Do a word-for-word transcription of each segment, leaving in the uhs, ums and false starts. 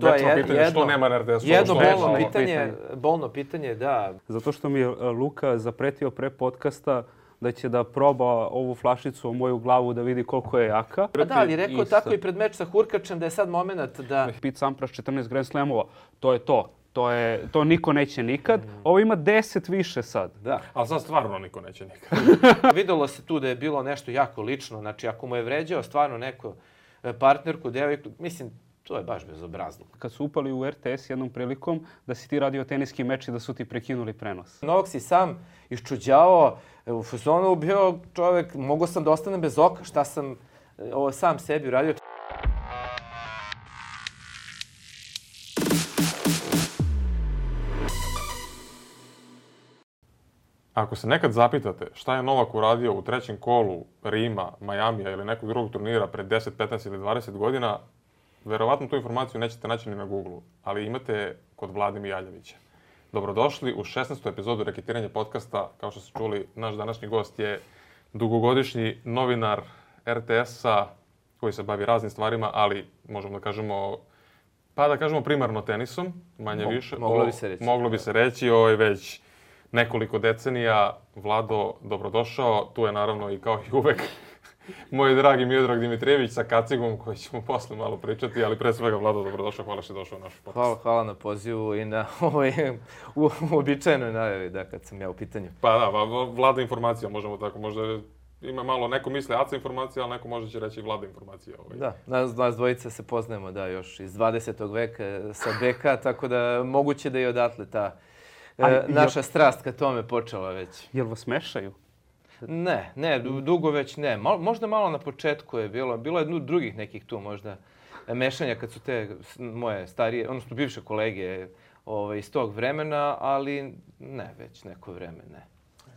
To je je pitanje, jedno, što nema na er te esu. jedno bolno nema. pitanje, bolno pitanje, da. Zato što mi je Luka zapretio pre podcasta da će da proba ovu flašicu o moju glavu da vidi koliko je jaka. A da, ali rekao tako i pred meč sa Hurkačem da je sad moment da... Pete Sampras četrnaest Grand Slamova, to je to. To, je, to niko neće nikad. Ovo ima deset više sad. Da. Ali sad stvarno niko neće nikad. Videlo se tu da je bilo nešto jako lično. Znači, ako mu je vređao stvarno neko partnerku, devojku, mislim, to je baš bezobrazno. Kad su upali u er te es jednom prilikom da si ti radio teniski meč i da su ti prekinuli prenos. Novak si sam iščuđavao, u fazonu bio čovjek, mogao sam da ostanem bez oka, šta sam ovo sam sebi uradio. Ako se nekad zapitate šta je Novak uradio u trećem kolu Rima, Majamija ili nekog drugog turnira pred deset, petnaest ili dvadeset godina, verovatno tu informaciju nećete naći ni na Google-u, ali imate kod Vlade Mijaljevića. Dobrodošli u šesnaestu epizodu Reketiranja podcasta. Kao što ste čuli, naš današnji gost je dugogodišnji novinar er te esa koji se bavi raznim stvarima, ali možemo da kažemo, pa da kažemo primarno tenisom, manje Mo, više. Moglo bi se reći. Moglo bi se reći, ovo je već nekoliko decenija. Vlado, dobrodošao. Tu je naravno i kao i uvek moj dragi Miodrag Dimitrijević sa kacigom koji ćemo posle malo pričati, ali pre svega Vlado, dobrodošao, hvala što je došao u naš podcast. Hvala, hvala na pozivu i na ovoj uobičajenoj najavi, da, kad sam ja u pitanju. Pa da, Vlada informacija, možemo tako, možda ima malo, neko misli Aca informacija, ali neko možda će reći Vlada informacija. Ovaj. Da, nas, nas dvojica se poznajemo, da, još iz dvadesetog veka sa beka, tako da moguće da je odatle ta ali, naša jel, strast ka tome počela već. Jel vas mešaju? Ne, ne, dugo već ne. Mal, možda malo na početku je bilo. Bilo je drugih nekih tu možda mešanja kad su te moje starije, odnosno bivše kolege ovaj, iz tog vremena, ali ne, već neko vreme ne.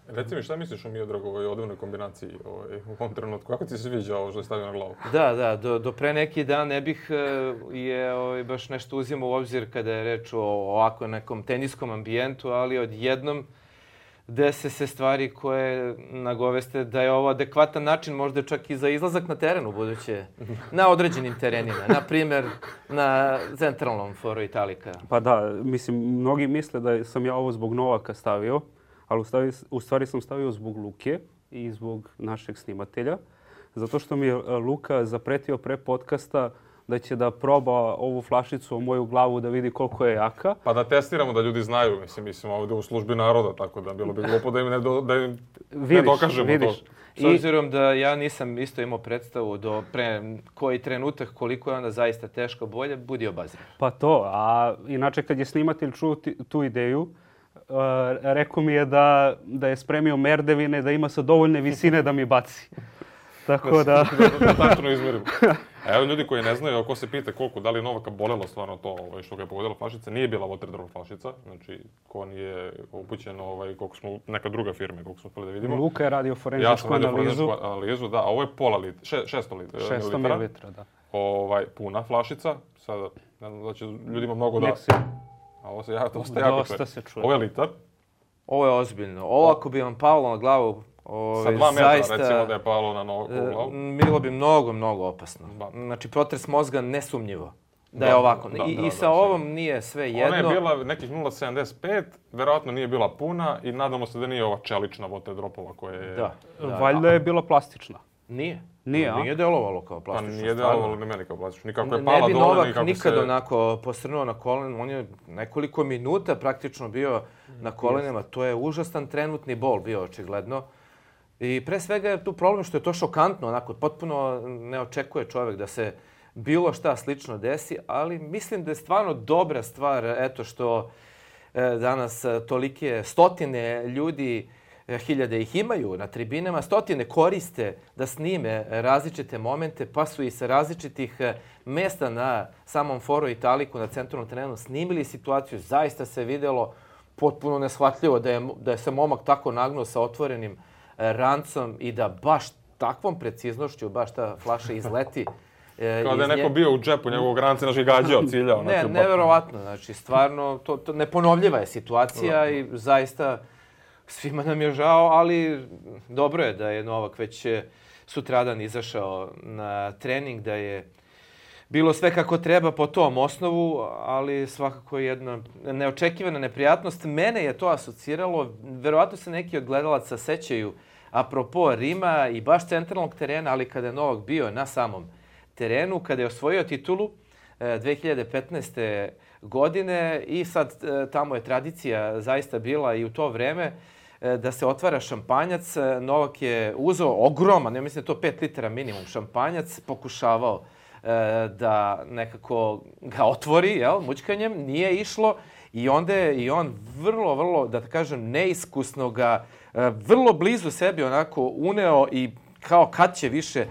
Reci mi, šta misliš o Miodragovoj odevnoj kombinaciji ovaj, u ovom trenutku? Kako ti se sviđa ovo što je stavio na glavu? Da, da, do, do pre neki dan ne bih je ovaj, baš nešto uzimao u obzir kada je reč o ovako nekom teniskom ambijentu, ali odjednom dese se stvari koje nagoveste da je ovo adekvatan način možda čak i za izlazak na teren u buduće. Na određenim terenima. Na primjer, na centralnom foru Italika. Pa da, mislim, mnogi misle da sam ja ovo zbog Novaka stavio, ali u stvari, u stvari sam stavio zbog Luke i zbog našeg snimatelja. Zato što mi je Luka zapretio pre podcasta da će da proba ovu flašicu o moju glavu da vidi koliko je jaka. Pa da testiramo, da ljudi znaju. Mislim, mislim ovdje u službi naroda, tako da bilo bi glupo da im ne, do, da im vidiš, ne dokažemo vidiš. to. S obzirom da ja nisam isto imao predstavu do pre koji trenutak koliko je onda zaista teško bolje, budi obazriv. Pa to, a inače kad je snimatelj čuo tu ideju, uh, rekao mi je da, da je spremio merdevine, da ima sa dovoljne visine da mi baci. Tako da... da, da tačno izmerim. A evo ljudi koji ne znaju, ako se pita koliko, da li je Novaka bolelo stvarno to ovaj, što ga je pogodila flašica, nije bila Waterdrop flašica. Znači, ko nije upućen, ovaj, koliko smo, neka druga firma, koliko smo spali da vidimo. Luka je radio forenzičku ja sam radio analizu. forenzičku analizu, da, a ovo je pola litra, še, šesto litra. šesto mililitara, da. Ovaj, puna flašica, sada, ne znam da će ljudima mnogo da... Si. A ovo se ja, dosta jako dosta se čuje. Ovo je litar. Ovo je ozbiljno. Ovo ako bi vam palo na glavu, Ove, sa dva metra, zaista, recimo, da je palo na nogu u glavu. Bilo bi mnogo, mnogo opasno. Da. Znači, protres mozga nesumnjivo da, da je ovako. Da, I, da, i sa da, ovom nije sve jedno. Ona je bila nekih nula zarez sedamdeset pet, verovatno nije bila puna i nadamo se da nije ova čelična Waterdropova koja je... Da, da. Valjda je bila plastična. Nije. Nije, a? Nije delovalo kao plastično. Pa nije delovalo ni meni kao plastično. Nikako je ne pala bi dole, Novak nikako nikad se... onako posrnuo na kolenu. On je nekoliko minuta praktično bio na kolenima. To je užasan trenutni bol bio očigledno. I pre svega je tu problem što je to šokantno, onako, potpuno ne očekuje čovjek da se bilo šta slično desi, ali mislim da je stvarno dobra stvar, eto što e, danas tolike stotine ljudi, e, hiljade ih imaju na tribinama, stotine koriste da snime različite momente, pa su i sa različitih mesta na samom foru Italiku, na centralnom terenu, snimili situaciju, zaista se vidjelo potpuno neshvatljivo da je, da je se momak tako nagnuo sa otvorenim rancom i da baš takvom preciznošću baš ta flaša izleti. E, Kao da je neko nje... bio u džepu njegovog ranca, znači gađao, ciljao. Ne, znači, neverovatno. Znači, stvarno, to, to neponovljiva je situacija da. I zaista svima nam je žao, ali dobro je da je Novak već sutradan izašao na trening, da je bilo sve kako treba po tom osnovu, ali svakako jedna neočekivana neprijatnost. Mene je to asociralo, verovatno se neki od gledalaca sećaju, apropo Rima i baš centralnog terena, ali kada je Novak bio na samom terenu, kada je osvojio titulu dve hiljade petnaeste. godine i sad tamo je tradicija zaista bila i u to vreme da se otvara šampanjac. Novak je uzeo ogroman, ja mislim da je to pet litara minimum šampanjac, pokušavao da nekako ga otvori, jel, mućkanjem, nije išlo i onda je i on vrlo, vrlo, da kažem, neiskusno ga vrlo blizu sebi onako uneo i kao kad će više.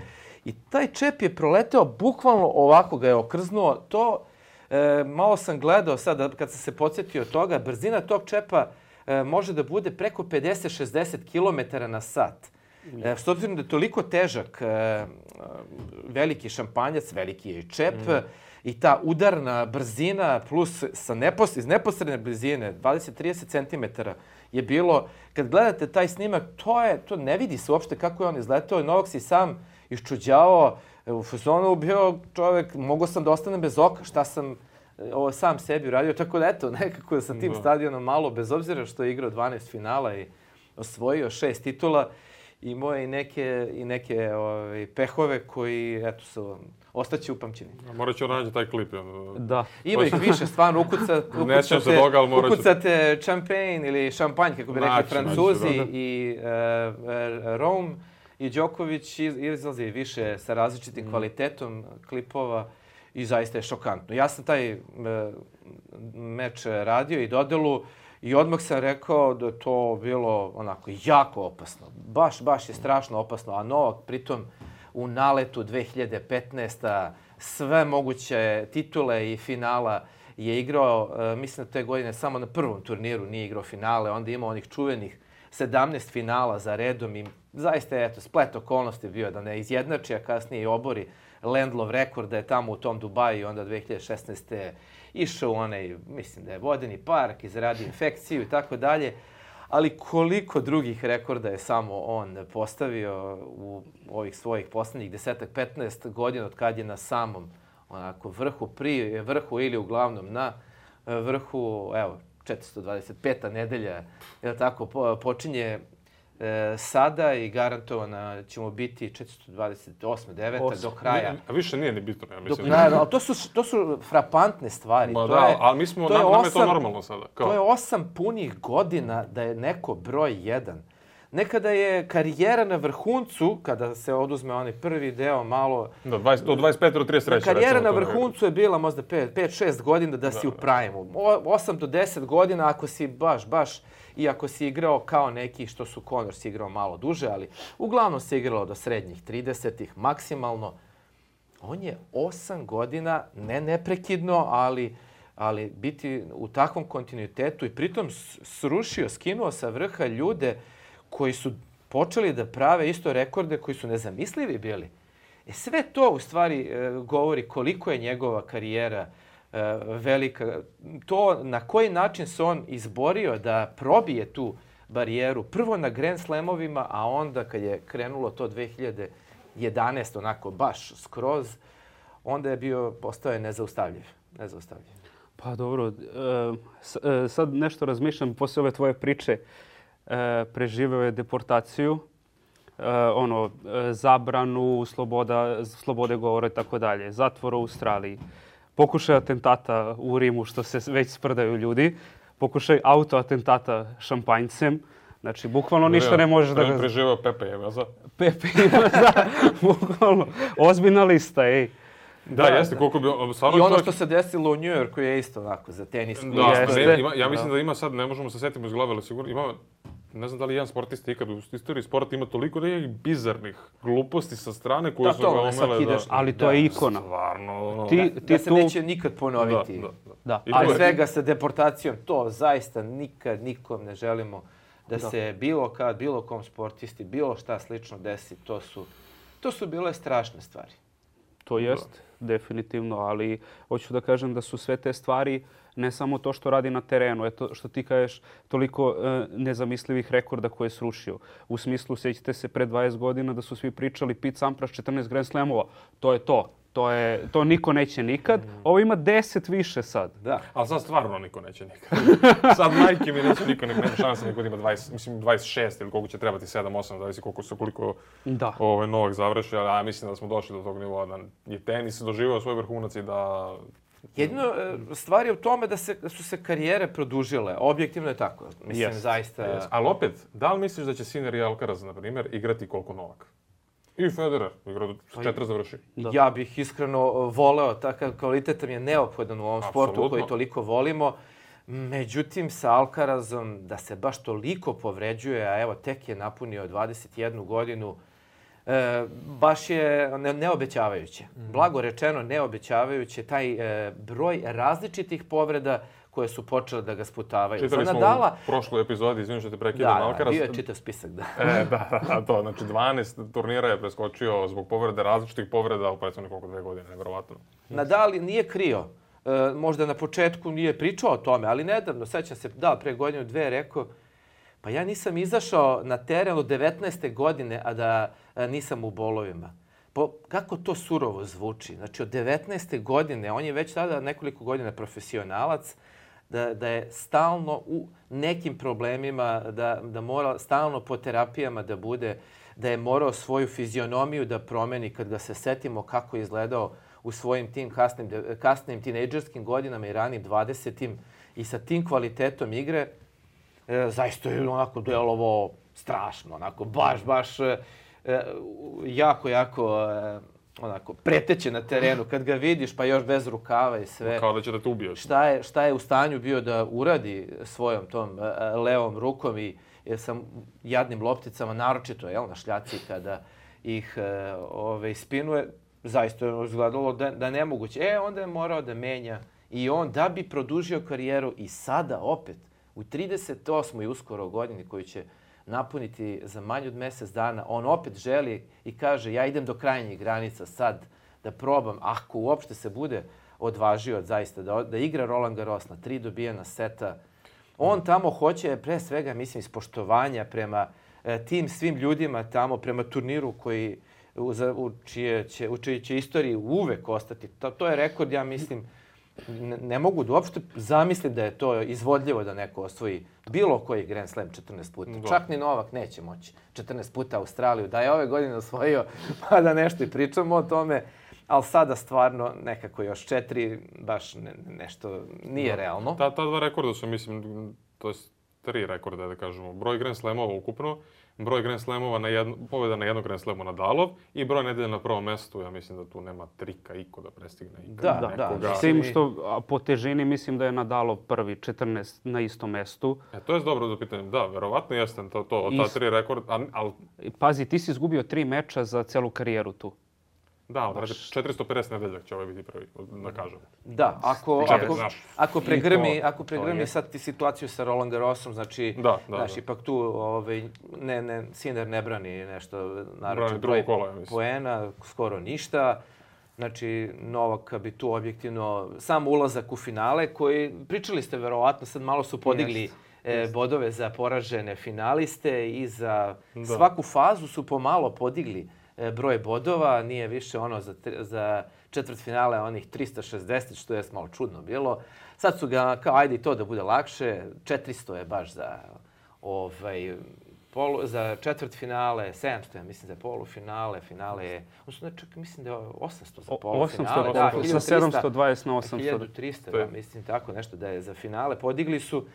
I taj čep je proleteo, bukvalno ovako ga je okrznuo. To, e, malo sam gledao sad, kad sam se podsjetio toga, brzina tog čepa e, može da bude preko pedeset do šezdeset kilometara na sat. E, s obzirom da je toliko težak, e, veliki šampanjac, veliki je i čep, mm. i ta udarna brzina plus sa nepos, iz neposredne blizine, dvadeset do trideset centimetara je bilo. Kad gledate taj snimak, to, je, to ne vidi se uopšte kako je on izletao. Novak si sam iščuđavao, u fazonu bio čovjek, mogao sam da ostanem bez oka, šta sam ovo sam sebi uradio. Tako da eto, nekako sa tim stadionom malo, bez obzira što je igrao dvanaest finala i osvojio šest titula, imao je i neke, i neke ovaj, pehove koji, eto, su, ostaće upamćeni. Morat ću naći taj klip. Da. Ima ih više, stvarno, ukucate, ukucate, toga, morat ukucate šampanj ili šampanj, kako bi rekli naći, Francuzi, naći, da, da. i uh, Rome i Đoković izlazi više sa različitim mm. kvalitetom klipova i zaista je šokantno. Ja sam taj uh, meč radio i dodelu i odmah sam rekao da je to bilo onako jako opasno. Baš, baš je strašno opasno. A Novak pritom u naletu dve hiljade petnaeste. sve moguće titule i finala je igrao, uh, mislim da te godine samo na prvom turniru nije igrao finale, onda imao onih čuvenih sedamnaest finala za redom i zaista je, eto, splet okolnosti bio da ne izjednači, a kasnije i obori Lendlov rekord da je tamo u tom Dubaju i onda dve hiljade šesnaeste. išao u onaj, mislim da je vodeni park i zaradio infekciju i tako dalje. Ali koliko drugih rekorda je samo on postavio u ovih svojih poslednjih desetak, petnaest godina od kad je na samom onako vrhu, pri vrhu ili uglavnom na vrhu, evo, četiristo dvadeset peta nedelja, je tako, počinje e, sada i garantovana ćemo biti četiristo dvadeset osma, deveta do kraja. A više nije ni bitno, ja mislim. Do kraja, ali to su, to su frapantne stvari. Ma to da, je, ali mi smo, to je nam, nam je osam, to normalno sada. Kao? To je osam punih godina da je neko broj jedan. Nekada je karijera na vrhuncu, kada se oduzme onaj prvi deo malo... Da, dvadeset, do dvadeset pet do trideset treće. Karijera na vrhuncu je bila možda pet šest godina da si da, u prime-u. osam do deset godina ako si baš, baš, i ako si igrao kao neki što su Connors igrao malo duže, ali uglavnom se igralo do srednjih tridesetih maksimalno. On je osam godina, ne neprekidno, ali, ali biti u takvom kontinuitetu i pritom srušio, skinuo sa vrha ljude koji su počeli da prave isto rekorde koji su nezamislivi bili. E sve to u stvari e, govori koliko je njegova karijera e, velika. To na koji način se on izborio da probije tu barijeru. Prvo na Grand Slamovima, a onda kad je krenulo to dve hiljade jedanaeste. onako baš skroz, onda je bio, postao je nezaustavljiv. nezaustavljiv. Pa dobro, e, sad nešto razmišljam posle ove tvoje priče. E, preživeo je deportaciju, e, ono, e, zabranu sloboda, slobode govora i tako dalje, zatvor u Australiji, pokušaj atentata u Rimu što se već sprdaju ljudi, pokušaj autoatentata šampanjcem, znači bukvalno ništa ne možeš da ga... Preživeo Pepe Imaza. Pepe Imaza, bukvalno, ozbiljna lista, ej. Da, da, jeste, koliko bi... I ono što se desilo u New Yorku je isto onako za tenis. Da, ne, ima, ja mislim da. da ima sad, ne možemo se setimo iz glave, ali sigurno ima, ne znam da li jedan sportista ikad u istoriji sporta ima toliko nekih bizarnih gluposti sa strane koje da, su ga omele da... Ali to da, je ikona. Stvarno. Ti, ti da se tu... neće nikad ponoviti. Da, da, da. da. Ali svega sa deportacijom, to zaista nikad nikom ne želimo da, da se bilo kad, bilo kom sportisti, bilo šta slično desi. To su, to su bile strašne stvari. To jest, definitivno, ali hoću da kažem da su sve te stvari ne samo to što radi na terenu, eto što ti kažeš toliko e, nezamislivih rekorda koje je srušio. U smislu, sjećate se pre dvadeset godina da su svi pričali Pete Sampras četrnaest Grand Slamova. To je to. To, je, to niko neće nikad. Ovo ima deset više sad. Da. Ali sad stvarno niko neće nikad. Sad majke mi neće niko, nema šanse niko da ima dvadeset, mislim dvadeset šest ili koliko će trebati sedam osam, zavisi koliko se koliko Da. ovaj, Novak završi, ali ja mislim da smo došli do tog nivoa da je tenis doživio svoj vrhunac i da... Jedino e, stvar je u tome da, se, da su se karijere produžile. Objektivno je tako. Mislim, Yes. zaista... Yes. Ali opet, da li misliš da će Sinner i Alcaraz, na primjer, igrati koliko Novak? I Federer, igra do četiri završi. Da. Ja bih iskreno voleo, takav kvalitet mi je neophodan u ovom sportu Apsolutno. koji toliko volimo. Međutim, sa Alcarazom da se baš toliko povređuje, a evo tek je napunio dvadeset jednu godinu, e, baš je ne, neobećavajuće. Mm. Blago rečeno neobećavajuće taj e, broj različitih povreda koje su počele da ga sputavaju. Čitali Za smo Nadala, u prošloj epizodi, izvinim što te prekidam, da, Alcaraz. bio je čitav spisak, da. E, da, da, to, znači dvanaest turnira je preskočio zbog povrede, različitih povreda u prethodnih koliko dve godine, nevjerovatno. Nadal nije krio. E, možda na početku nije pričao o tome, ali nedavno, sećam se, da, pre godinu dve je rekao, pa ja nisam izašao na teren od devetnaeste godine, a da a, nisam u bolovima. Po, kako to surovo zvuči? Znači, od devetnaeste godine, on je već tada nekoliko godina profesionalac, da, da je stalno u nekim problemima, da, da mora stalno po terapijama da bude, da je morao svoju fizionomiju da promeni kad ga se setimo kako je izgledao u svojim tim kasnim, kasnim tinejdžerskim godinama i ranim dvadesetim i sa tim kvalitetom igre, e, zaista je onako delovo strašno, onako baš, baš e, jako, jako e, onako preteće na terenu. Kad ga vidiš, pa još bez rukava i sve. Kao da će da te ubiješ. Šta je, šta je u stanju bio da uradi svojom tom e, levom rukom i e, sa jadnim lopticama, naročito jel, na šljaci kada ih e, ove, spinuje, zaista je izgledalo da, da nemoguće. E, onda je morao da menja i on da bi produžio karijeru i sada opet u trideset osmoj uskoro godini koju će napuniti za manje od mjesec dana, on opet želi i kaže ja idem do krajnjih granica sad da probam, ako uopšte se bude odvažio zaista da, da igra Roland Garros na tri dobijena seta. On tamo hoće pre svega, mislim, ispoštovanja prema e, tim svim ljudima tamo, prema turniru koji u, za, u, čije će, u čiji će istoriji uvek ostati. To, to je rekord, ja mislim, ne, ne mogu da uopšte zamislim da je to izvodljivo da neko osvoji bilo koji Grand Slam četrnaest puta. Da. Čak ni Novak neće moći četrnaest puta Australiju. Da je ove godine osvojio, pa da nešto i pričamo o tome. Ali sada stvarno nekako još četiri, baš ne, nešto nije da. realno. Ta, ta dva rekorda su, mislim, to je tri rekorda, da kažemo. Broj Grand Slamova ukupno, broj Grand Slamova na jedno, pobjeda na jednog Grand Slamu Nadalov i broj nedelje na prvom mestu. Ja mislim da tu nema trika iko da prestigne ikada da, nekoga. Da, s tim što po težini mislim da je Nadalov prvi četrnaest na istom mestu. E, to je dobro da pitanjem. Da, verovatno jeste to, to od ta tri rekorda. Al... Pazi, ti si izgubio tri meča za celu karijeru tu. Da, znači četiristo pedeset nedeljak će ovaj biti prvi, da kažem. Da, ako, Čekaj, ako, ako pregrmi, to, ako pregrmi sad ti situaciju sa Roland Garrosom, znači, da, da, znaš, da. ipak tu ovaj, ne, ne, Sinner ne brani nešto, naroče broj kola, poena, skoro ništa. Znači, Novak bi tu objektivno, sam ulazak u finale koji, pričali ste verovatno, sad malo su podigli yes. E, bodove za poražene finaliste i za da. svaku fazu su pomalo podigli broj bodova, nije više ono za, za četvrtfinale onih trista šezdeset, što je malo čudno bilo. Sad su ga, kao ajde i to da bude lakše, četiristo je baš za, ovaj, polu, za četvrtfinale, sedamsto je, mislim, za polufinale, finale je, odnosno, čak mislim da je osamsto za polufinale. osamsto, da, sa sedamsto dvadeset na osamsto. hiljadu trista, da, mislim, tako nešto da je za finale. Podigli su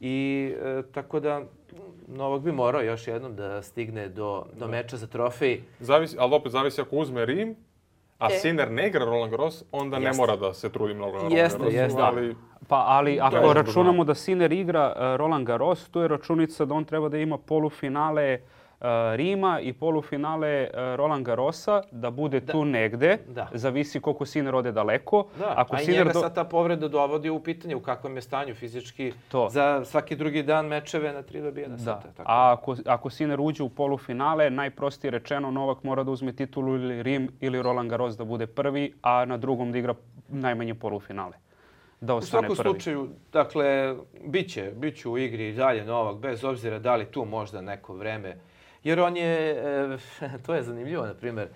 i e, tako da Novak bi morao još jednom da stigne do, do meča za trofej. Zavisi, ali opet zavisi ako uzme Rim, a e. Sinner ne igra Roland Garros, onda jeste. ne mora da se trudi mnogo na Roland jeste, Garrosu. Jeste, ali... Pa, ali ako računamo da Sinner igra uh, Roland Garros, tu je računica da on treba da ima polufinale uh, Rima i polufinale uh, Roland Garrosa, da bude da. tu negde. Da. Zavisi koliko Sinner ode daleko. Da, ako a i Sinner njega do... sad ta povreda dovodi u pitanje u kakvom je stanju fizički to. Za svaki drugi dan mečeve na tri dobijena seta. Tako. A ako, ako Sinner uđe u polufinale, najprostije rečeno, Novak mora da uzme titulu ili Rim ili Roland Garros da bude prvi, a na drugom da igra najmanje polufinale. Da ostane u svakom prvi. slučaju, dakle, bit će, bit će u igri i dalje Novak, bez obzira da li tu možda neko vreme. Jer on je, e, to je zanimljivo, na primjer,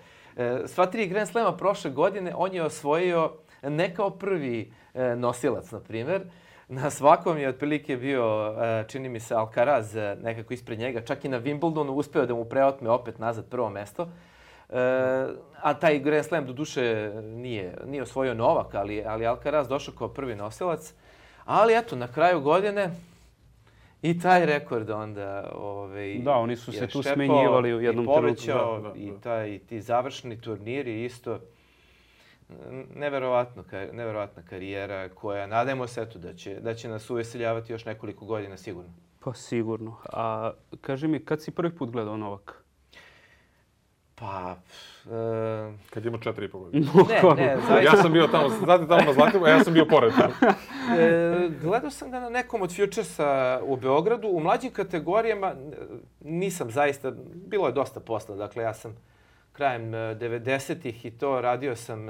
Sva tri Grand Slema prošle godine on je osvojio ne kao prvi nosilac, na primjer. Na svakom je otprilike bio, čini mi se, Alcaraz nekako ispred njega. Čak i na Wimbledonu uspeo da mu preotme opet nazad prvo mesto. A taj Grand Slam do duše nije, nije osvojio Novak, ali, ali Alcaraz došao kao prvi nosilac. Ali eto, na kraju godine i taj rekord onda ovaj, da, oni su se tu štepao, smenjivali u jednom i povećao, trenutku. Da, da, i, taj, i ti završni turniri isto. Neverovatno, neverovatna karijera koja, nadajmo se eto, da će, da će nas uveseljavati još nekoliko godina sigurno. Pa sigurno. A kaži mi, kad si prvi put gledao Novaka? Pa... E... Kad ima četiri i po godine. Ne, ne, zaista... Ja sam bio tamo, znate tamo na Zlatiboru, a ja sam bio pored tamo. E, gledao sam ga na nekom od Futuresa u Beogradu. U mlađim kategorijama nisam zaista, bilo je dosta posla. Dakle, ja sam krajem devedesetih i to radio sam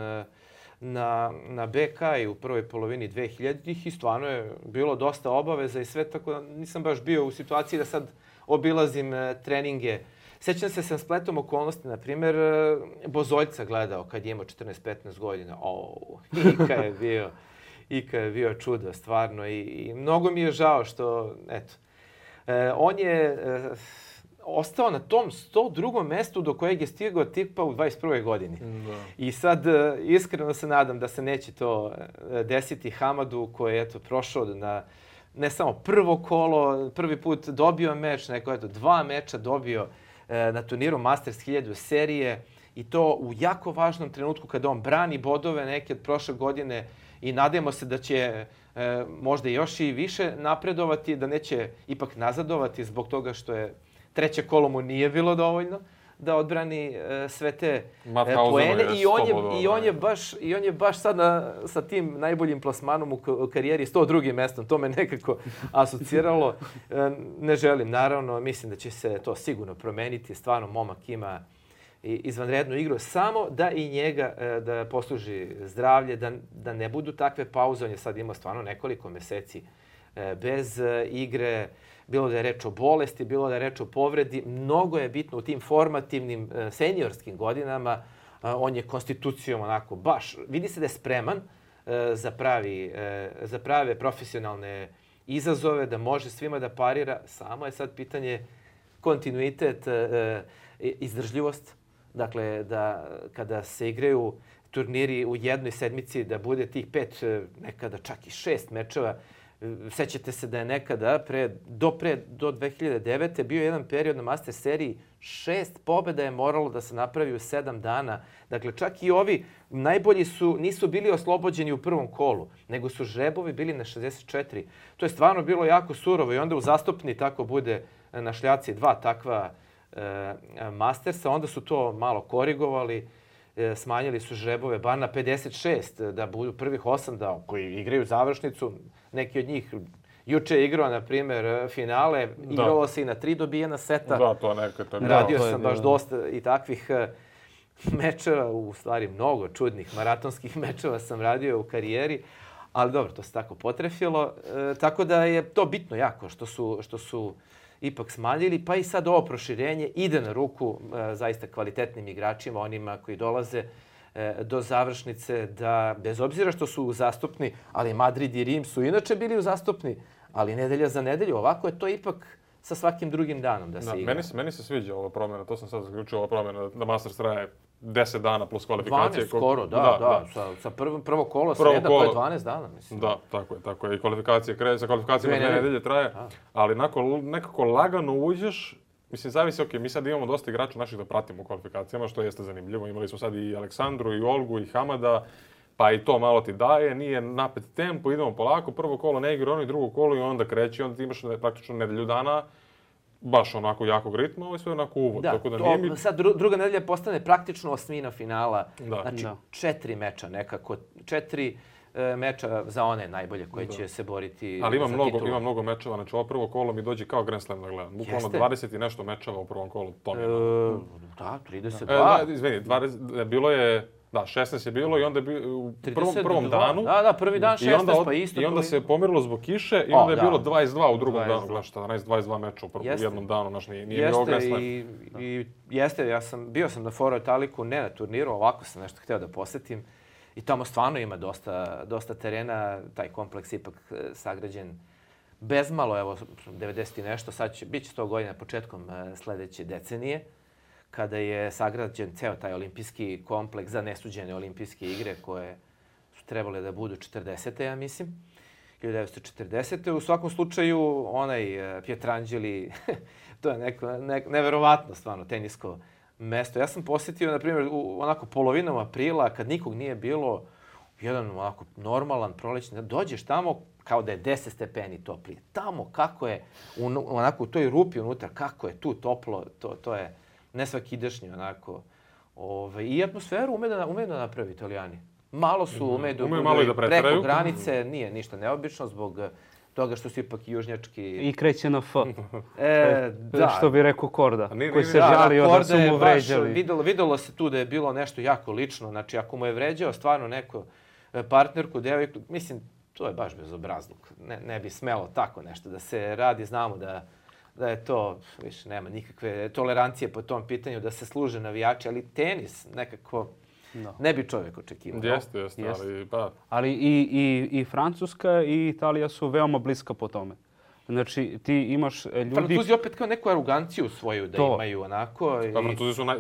na, na B K i u prvoj polovini dvehiljaditih i stvarno je bilo dosta obaveza i sve, tako da nisam baš bio u situaciji da sad obilazim treninge. Sjećam se sam spletom okolnosti, na primjer, Bozoljca gledao kad je imao četrnaest petnaest godina. O, Ika je bio, Ika je bio čudo, stvarno. I, i mnogo mi je žao što, eto, e, on je e, ostao na tom sto drugom mestu do kojeg je stigao tipa u dvadeset prvoj godini. Da. I sad e, iskreno se nadam da se neće to desiti Hamadu koji je eto, prošao na ne samo prvo kolo, prvi put dobio meč, nego eto, dva meča dobio na turniru Masters hiljadu serije i to u jako važnom trenutku kada on brani bodove neke od prošle godine i nadajmo se da će e, možda još i više napredovati, da neće ipak nazadovati zbog toga što je treće kolo mu nije bilo dovoljno da odbrani e, sve te e, poene i on je i on je baš i on je baš sad na, sa tim najboljim plasmanom u, u karijeri sto drugim mestom. To me nekako asociralo. E, ne želim, naravno, mislim da će se to sigurno promeniti. Stvarno momak ima izvanrednu igru, samo da i njega e, da posluži zdravlje, da da ne budu takve pauze. On je sad imao stvarno nekoliko meseci e, bez e, igre. Bilo da je reč o bolesti, bilo da je reč o povredi. Mnogo je bitno u tim formativnim seniorskim godinama. On je konstitucijom onako baš, vidi se da je spreman za, pravi, za prave profesionalne izazove, da može svima da parira. Samo je sad pitanje kontinuitet, izdržljivost. Dakle, da kada se igraju turniri u jednoj sedmici, da bude tih pet, nekada čak i šest mečeva. Sećate se da je nekada, pre, do, pre, do dve hiljade devete. bio jedan period na Master seriji, šest pobjeda je moralo da se napravi u sedam dana. Dakle, čak i ovi najbolji su, nisu bili oslobođeni u prvom kolu, nego su žrebovi bili na šezdeset četiri. To je stvarno bilo jako surovo i onda u zastupni tako bude na šljaci dva takva e, Mastersa. Onda su to malo korigovali. Smanjili su žrebove bar na pedeset šest, da budu prvih osam da, koji igraju završnicu. Neki od njih juče je igrao, na primjer, finale. Da. Igralo se i na tri dobijena seta. Da, to neka. To Radio da, sam baš dosta i takvih mečeva, u stvari mnogo čudnih maratonskih mečeva sam radio u karijeri. Ali dobro, to se tako potrefilo. E, tako da je to bitno jako što su, što su ipak smanjili, pa i sad ovo proširenje ide na ruku e, zaista kvalitetnim igračima, onima koji dolaze e, do završnice, da bez obzira što su uzastopni, ali Madrid i Rim su inače bili uzastopni, ali nedelja za nedelju, ovako je to ipak sa svakim drugim danom da se da, igra. Meni se, meni se sviđa ova promjena, to sam sad zaključio, ova promjena da Masters traje deset dana plus kvalifikacije. dvanaest skoro, da, da. da. Sa, sa prvo, prvo kolo sreda, to je dvanaest dana, mislim. Da, tako je, tako je. I kvalifikacije kreće, sa kvalifikacijama dve nedelje traje, a. ali nakon nekako lagano uđeš, mislim, zavisi, ok, mi sad imamo dosta igrača naših da pratimo u kvalifikacijama, što jeste zanimljivo. Imali smo sad i Aleksandru, i Olgu, i Hamada, pa i to malo ti daje, nije napet tempo, idemo polako, prvo kolo ne igra ono i drugo kolo i onda kreće, onda ti imaš praktično nedelju dana baš onako jakog ritma, ovo je sve onako uvod. Da, tako da to, nije mi... sad dru, druga nedelja postane praktično osmina finala. Da. Znači da. četiri meča nekako, četiri e, meča za one najbolje koji da. će se boriti. Ali ima za mnogo, titulu. ima mnogo mečeva, znači ovo prvo kolo mi dođe kao Grand Slam da gledam. Bukvalno dvadeset i nešto mečeva u prvom kolu, to mi je. E, da, trideset dva. E, da, izvini, dvadeset, bilo je Da, šesnaest je bilo i onda je bio u prvom, prvom danu. Da, da, prvi dan šesnaest, onda, pa isto. I onda prvi... se pomirilo zbog kiše i o, onda je da. bilo dvadeset dva u drugom dvadeset dva. danu. Gledaš, četrnaest dvadeset dva meča u, u jednom danu, znaš, nije, nije jeste, bilo i, i jeste, ja sam, bio sam na Foro Italiku, ne na turniru, ovako sam nešto hteo da posetim. I tamo stvarno ima dosta, dosta terena, taj kompleks ipak sagrađen bezmalo, evo, devedeset i nešto, sad će, bit će sto godina početkom sledeće decenije, kada je sagrađen ceo taj olimpijski kompleks za nesuđene olimpijske igre koje su trebale da budu četrdesete, ja mislim, hiljadu devetsto četrdesete. U svakom slučaju, onaj Pietrangeli, to je neko, ne, neverovatno stvarno tenisko mesto. Ja sam posjetio, na primjer, u onako polovinom aprila, kad nikog nije bilo, jedan onako normalan prolećni, dođeš tamo kao da je deset stepeni toplije. Tamo kako je, un, onako u toj rupi unutra, kako je tu toplo, to, to je nesvakidašnje onako. Ove, I atmosferu ume da, ume da napravi Italijani. Malo su ume da budu preko granice, nije ništa neobično zbog toga što su ipak južnjački... I kreće na F. E, da. Što bi rekao Korda, nije, koji nije, se da, žalio da, da su mu vređali. Videlo, videlo se tu da je bilo nešto jako lično. Znači, ako mu je vređao stvarno neko partnerku, devojku, mislim, to je baš bezobrazluk. Ne, ne bi smelo tako nešto da se radi. Znamo da, da je to, više nema nikakve tolerancije po tom pitanju, da se služe navijači, ali tenis nekako... No. Ne bi čovjek očekivao. Jeste, jeste, jest. ali pa... Ali i, i, i Francuska i Italija su veoma bliska po tome. Znači, ti imaš ljudi... Francuzi opet kao neku aroganciju svoju da to. Imaju onako. I... Pa Francuzi su, naj...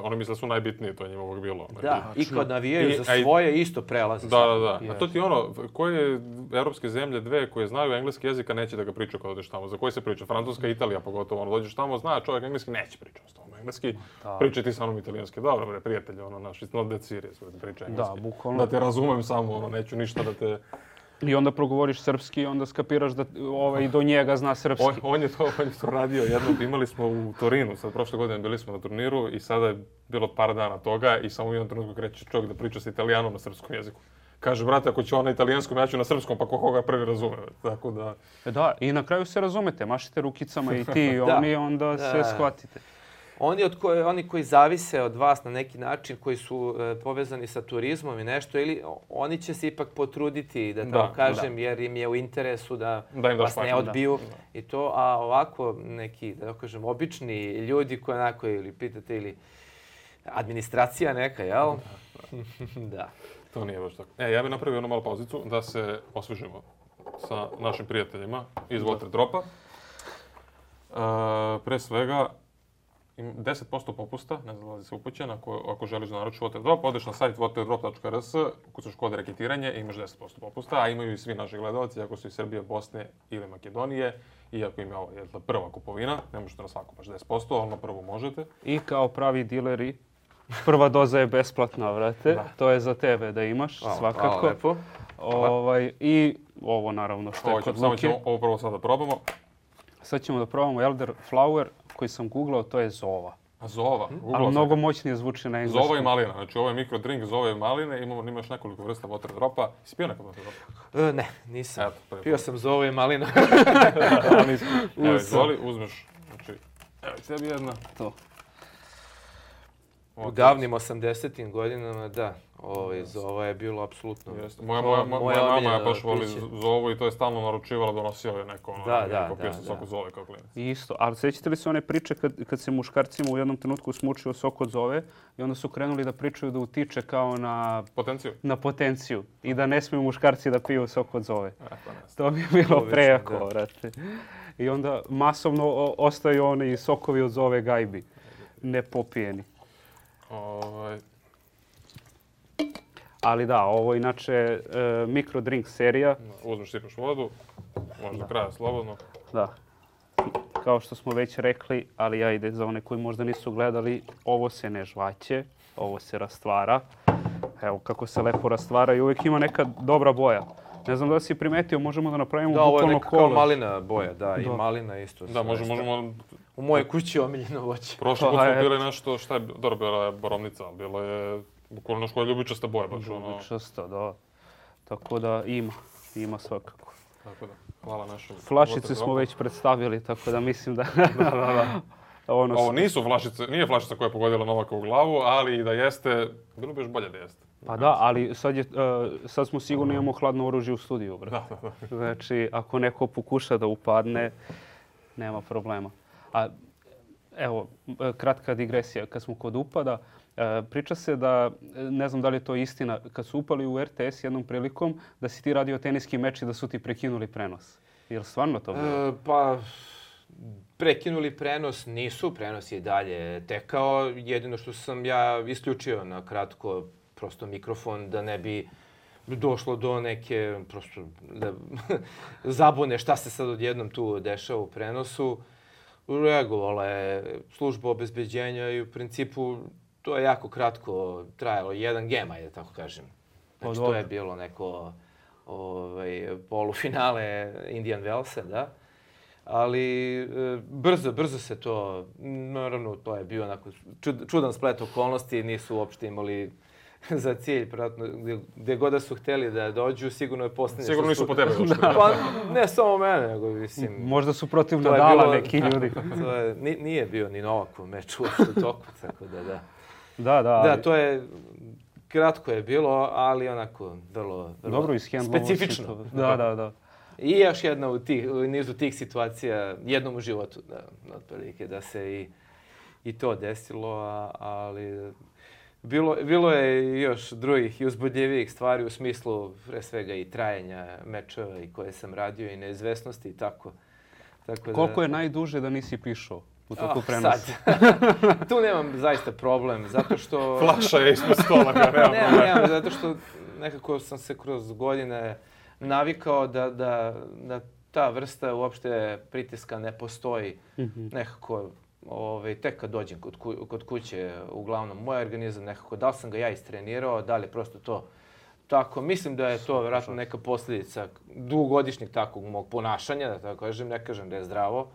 oni misle da su najbitniji, to je njima uvijek bilo. Da, i kad navijaju I, za svoje, aj... isto prelaze. Da, da, da. A to ti ono, koje evropske zemlje, dve koje znaju engleski jezik, a neće da ga pričaju kad odeš tamo. Za koje se priča? Francuska i Italija pogotovo. Ono, dođeš tamo, zna čovjek engleski, neće pričati s tobom engleski. Pričaj ti sa mnom italijanski. Dobro, bre, prijatelj, ono, naš, it's not that serious, pričaj engleski. Da, bukvalno. Da te razumem samo, ono, neću ništa da te... I onda progovoriš srpski i onda skapiraš da ovaj, do njega zna srpski. On, on, je to, on je to radio jednom. Imali smo u Torinu, sad prošle godine bili smo na turniru i sada je bilo par dana toga i samo u jednom trenutku kreće čovjek da priča sa Italijanom na srpskom jeziku. Kaže, brate, ako će on na italijanskom, ja ću na srpskom, pa ko koga prvi razume. Tako da... Da, i na kraju se razumete, mašite rukicama i ti i oni, onda da. se shvatite. Oni, od koje, oni koji zavise od vas na neki način, koji su e, povezani sa turizmom i nešto, ili oni će se ipak potruditi, da tako da, kažem, da. jer im je u interesu da, da vas ne odbiju. Da. I to, a ovako neki, da kažem, obični ljudi koji onako ili pitate ili administracija neka, jel? Da. da. To nije baš tako. E, ja bih napravio jednu malu pauzicu da se osvežimo sa našim prijateljima iz Waterdropa. Uh, pre svega, deset posto popusta, ne znam da li se upućen, ako, ako želiš da naručiš Waterdrop, odeš na sajt waterdrop tačka r s, ukucaš kod reketiranje i imaš deset posto popusta, a imaju i svi naši gledalci, ako su iz Srbije, Bosne ili Makedonije, iako im je ovo je prva kupovina, ne možete na svaku baš deset posto, ali na prvu možete. I kao pravi dileri, prva doza je besplatna, vrate, da. To je za tebe da imaš, hvala, svakako. Hvala, lepo. Ovaj, I ovo naravno što je kod Luke. Ćemo ovo prvo sad da probamo. Sad ćemo da probamo Elderflower koji sam googlao, to je zova. A zova? Ali mnogo moćnije zvuči na engleskom. Zova i malina. Znači ovo je mikrodrink zove i maline. Imamo, imaš nekoliko vrsta Waterdropa. Si pio nekog Waterdropa? E, ne, nisam. Eto, pio sam zova i malina. Evo, izvoli, uzmeš. Znači, evo, tebi jedna. To. U davnim osamdesetim godinama, da. Ovaj, zova je bilo apsolutno... Moja, moja, moja, moja mama je baš voli zovu i to je stalno naručivala, donosio je neko. Ono, da, da, neko pio sam da, sok od zove kao klinac. Isto, ali sjećate li se one priče kad, kad se muškarcima u jednom trenutku smučio sok od zove i onda su krenuli da pričaju da utiče kao na... Potenciju. Na potenciju. I da ne smiju muškarci da piju sok od zove. E, pa to mi je bilo prejako, vrate. I onda masovno ostaju oni sokovi od zove gajbi. Nepopijeni. Ovaj... Ali da, ovo inače e, mikrodrink serija. Uzmeš, sipaš vodu, možeš do kraja slobodno. Da. Kao što smo već rekli, ali ja ide za one koji možda nisu gledali, ovo se ne žvaće, ovo se rastvara. Evo kako se lepo rastvara i uvijek ima neka dobra boja. Ne znam da si primetio, možemo da napravimo da, bukvalno ovo je kolo. Kao malina boja, da, da, i malina isto. Da, možemo, možemo... U mojoj kući je omiljeno voće. Prošle put smo bili nešto, šta je, dobro, bila je borovnica, ali bilo je bukvalno nešto je ljubičasta boja. Baš, ljubičasta, ono... da. Tako da ima, ima svakako. Tako da, hvala našem... Flašice smo već predstavili, tako da mislim da... da, da, da. Ono, Ovo nisu flašice, nije flašica koja je pogodila Novaka u glavu, ali da jeste, bilo bi još bolje da jeste. Pa da, ali sad, je, uh, sad smo sigurno imamo hladno oružje u studiju. Bro. Da, da, da. Znači, ako neko pokuša da upadne, nema problema. A evo, kratka digresija. Kad smo kod upada, priča se da, ne znam da li je to istina, kad su upali u R T S jednom prilikom, da si ti radio teniski meč i da su ti prekinuli prenos. Je li stvarno to bilo? E, pa, prekinuli prenos nisu, prenos je dalje tekao. Jedino što sam ja isključio na kratko prosto mikrofon da ne bi došlo do neke prosto da, zabune šta se sad odjednom tu dešava u prenosu. Reagovala je služba obezbeđenja i u principu to je jako kratko trajalo, jedan gem, ajde tako kažem. Znači to je bilo neko ovaj, polufinale Indian Wellsa, da. Ali e, brzo, brzo se to, naravno to je bio onako čud, čudan splet okolnosti, nisu uopšte imali za cilj, pratno, gdje, gdje god da su htjeli da dođu, sigurno je posljednje. Sigurno nisu po tebe došli. Pa ne samo mene, nego mislim... Možda su protiv Nadala bilo, neki ljudi. To je, nije bio ni Novakov meč uopšte u toku, tako da da. Da, da. Ali... Da, to je, kratko je bilo, ali onako vrlo, vrlo dobro specifično. Da, da, da. I još jedna u, tih, u nizu tih situacija, jednom u životu, da, otprilike, da se i, i to desilo, a, ali bilo, bilo je još drugih i uzbudljivijih stvari u smislu pre svega i trajanja mečeva i koje sam radio i neizvesnosti i tako. tako Koliko da, je najduže da nisi pišao u toku oh, prenosa? Sad. Tu nemam zaista problem, zato što... Flaša je ispod stola, ga nema ne, problema. ne, zato što nekako sam se kroz godine navikao da, da, da ta vrsta uopšte pritiska ne postoji. Mm-hmm. Nekako, ovaj, tek kad dođem kod, ku, kod kuće, uglavnom, moj organizam nekako, da li sam ga ja istrenirao, da li je prosto to tako. Mislim da je to vjerojatno neka posljedica dugogodišnjeg takvog mog ponašanja, da tako kažem, ne kažem da je zdravo.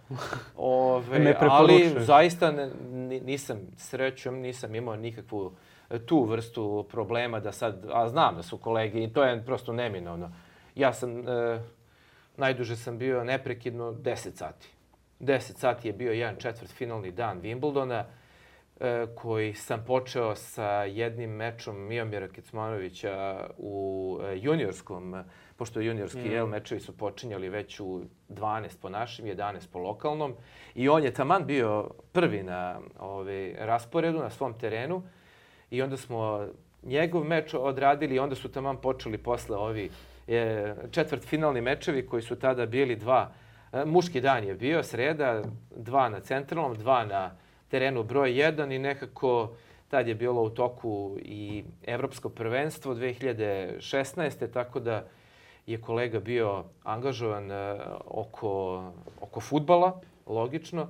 Ove, ne ali zaista ne, nisam srećom, nisam imao nikakvu tu vrstu problema da sad, a znam da su kolege i to je prosto neminovno. Ja sam, e, najduže sam bio neprekidno deset sati. deset sati je bio jedan četvrtfinalni dan Wimbledona, e, koji sam počeo sa jednim mečom Miomira Kecmanovića u e, juniorskom, pošto juniorski mm. jel, mečevi su počinjali već u dvanaest po našem, jedanaest po lokalnom. I on je taman bio prvi na ovaj, rasporedu, na svom terenu. I onda smo njegov meč odradili i onda su taman počeli posle ovi e, četvrtfinalni mečevi koji su tada bili dva. E, muški dan je bio, sreda, dva na centralnom, dva na terenu broj jedan i nekako tad je bilo u toku i Evropsko prvenstvo dve hiljade šesnaeste. Tako da je kolega bio angažovan e, oko, oko fudbala, logično.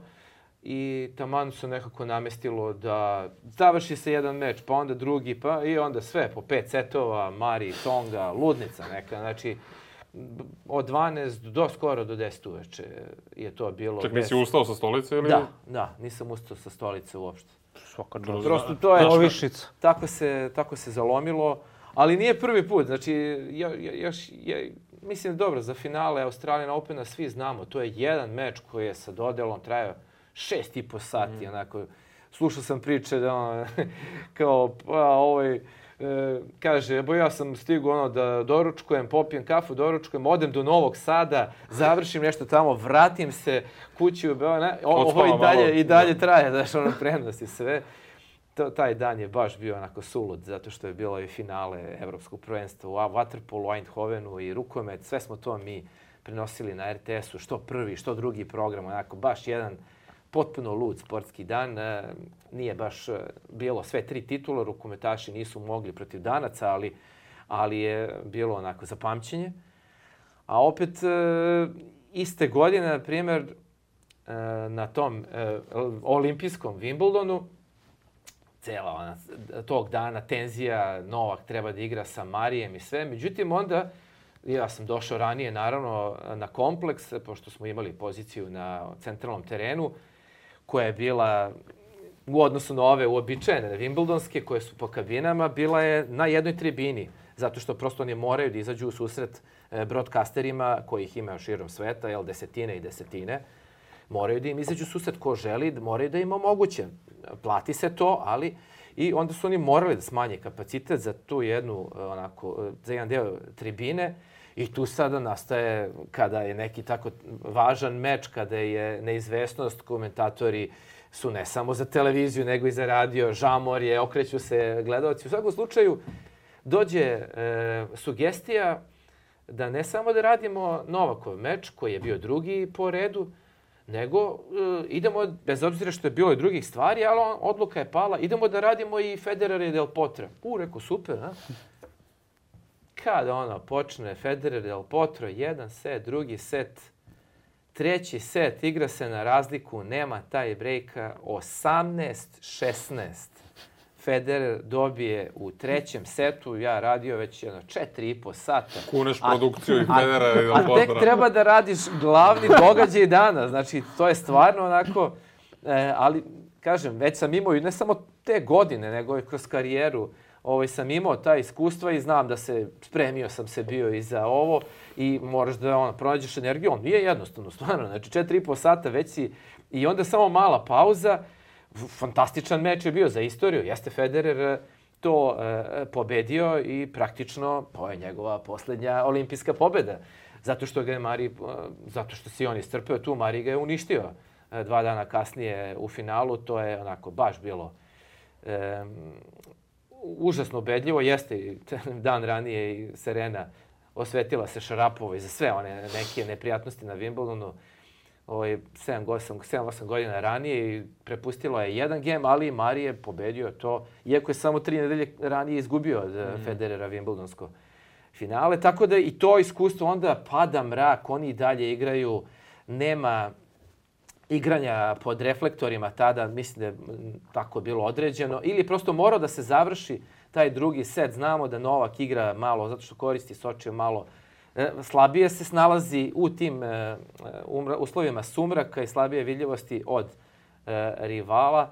I taman se nekako namestilo da završi se jedan meč, pa onda drugi, pa i onda sve po pet setova, Mari, Tonga, ludnica neka. Znači, od dvanaest do skoro do deset uveče je to bilo. Čak nisi ustao sa stolice ili? Da, da, nisam ustao sa stolice uopšte. Svaka čast. Prosto to je Ovišica. Tako se, tako se zalomilo, ali nije prvi put. Znači, ja, ja, još, ja, mislim dobro, za finale Australian Opena svi znamo, to je jedan meč koji je sa dodelom trajao šest i po sati, mm. onako. Slušao sam priče da on, kao, pa, ovaj, e, kaže, ebo ja sam stigao ono da doručkujem, popijem kafu, doručkujem, odem do Novog Sada, završim nešto tamo, vratim se kući u Beograd, ovo i dalje, i dalje traje, znaš, ono prenosi sve. To, taj dan je baš bio onako sulud, zato što je bilo i finale Evropskog prvenstva u waterpolu, u Eindhovenu i rukomet, sve smo to mi prenosili na R T S-u, što prvi, što drugi program, onako baš jedan potpuno lud sportski dan. Nije baš bilo sve tri titula, rukometaši nisu mogli protiv Danaca, ali, ali je bilo onako za pamćenje. A opet iste godine, na primjer, na tom olimpijskom Wimbledonu, cela ona, tog dana tenzija, Novak treba da igra sa Marijem i sve. Međutim, onda ja sam došao ranije, naravno, na kompleks, pošto smo imali poziciju na centralnom terenu, koja je bila u odnosu na ove uobičajene Wimbledonske, koje su po kabinama, bila je na jednoj tribini, zato što prosto oni moraju da izađu u susret broadcasterima, kojih ima širom sveta, jel, desetine i desetine. moraju da im izađu susret ko želi, moraju da im omoguće. Plati se to, ali i onda su oni morali da smanje kapacitet za tu jednu, onako, za jedan deo tribine i tu sada nastaje, kada je neki tako važan meč, kada je neizvesnost, komentatori su ne samo za televiziju, nego i za radio, žamor je, okreću se gledalci. U svakom slučaju, dođe e, sugestija da ne samo da radimo Novakov meč, koji je bio drugi po redu, nego e, idemo, bez obzira što je bilo i drugih stvari, ali on, odluka je pala, idemo da radimo i Federer i Del Potro. U, reko, super, a? Kada ono počne Federer, Del Potro, jedan set, drugi set, treći set, igra se na razliku, nema taj brejka, osamnaest šesnaest. Federer dobije u trećem setu, ja radio već jedno četiri i po sata. Kuneš produkciju i Federera i Del Potra. A tek treba da radiš glavni događaj dana. Znači, to je stvarno onako, e, ali kažem, već sam imao i ne samo te godine, nego i kroz karijeru, ovaj, sam imao ta iskustva i znam da se, spremio sam se bio i za ovo i moraš da ono, pronađeš energiju. On nije jednostavno, stvarno, znači četiri i po sata već si i onda samo mala pauza. Fantastičan meč je bio za istoriju. Jeste Federer to e, pobedio i praktično to je njegova posljednja olimpijska pobjeda. Zato što ga je Mari, zato što si on istrpeo tu, Mari ga je uništio e, dva dana kasnije u finalu. To je onako baš bilo e, užasno ubedljivo. Jeste i dan ranije i Serena osvetila se Šarapovoj za sve one neke neprijatnosti na Wimbledonu. Ovaj, sedam osam godina ranije i prepustilo je jedan gem, ali Mari je pobedio to, iako je samo tri nedelje ranije izgubio od mm. Federera Wimbledonsko finale. Tako da i to iskustvo onda pada mrak, oni i dalje igraju, nema igranja pod reflektorima tada, mislim da je tako bilo određeno, ili prosto morao da se završi taj drugi set. Znamo da Novak igra malo, zato što koristi Sočiju malo, slabije se snalazi u tim uh, uslovima sumraka i slabije vidljivosti od uh, rivala.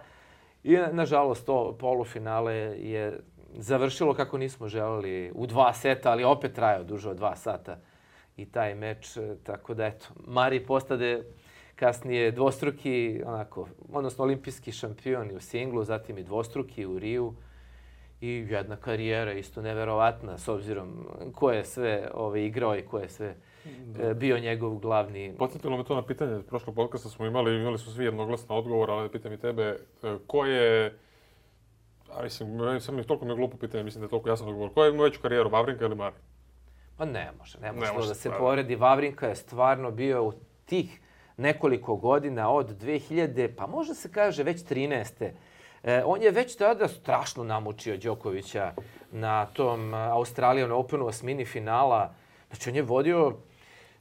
I nažalost to polufinale je završilo kako nismo želeli u dva seta, ali opet trajao duže od dva sata i taj meč. Tako da eto, Mari postade kasnije dvostruki, onako, odnosno olimpijski šampion u singlu, zatim i dvostruki u Riju. I jedna karijera isto neverovatna s obzirom ko je sve ovaj, igrao i ko je sve e, bio njegov glavni... Podsjetilo me to na pitanje. Prošlog podcasta smo imali, imali su svi jednoglasno odgovor, ali pitam i tebe, ko je... A mislim, sam mi toliko mi je glupo pitanje, mislim da je toliko jasan odgovor. Ko je imao veću karijeru, Vavrinka ili Mari? Pa ne može, ne može, ne može da se stvarno. poredi. Vavrinka je stvarno bio u tih nekoliko godina od dve hiljade, pa može se kaže već trinaeste. E, on je već tada strašno namučio Đokovića na tom Australian Openu osmini finala. Znači, on je vodio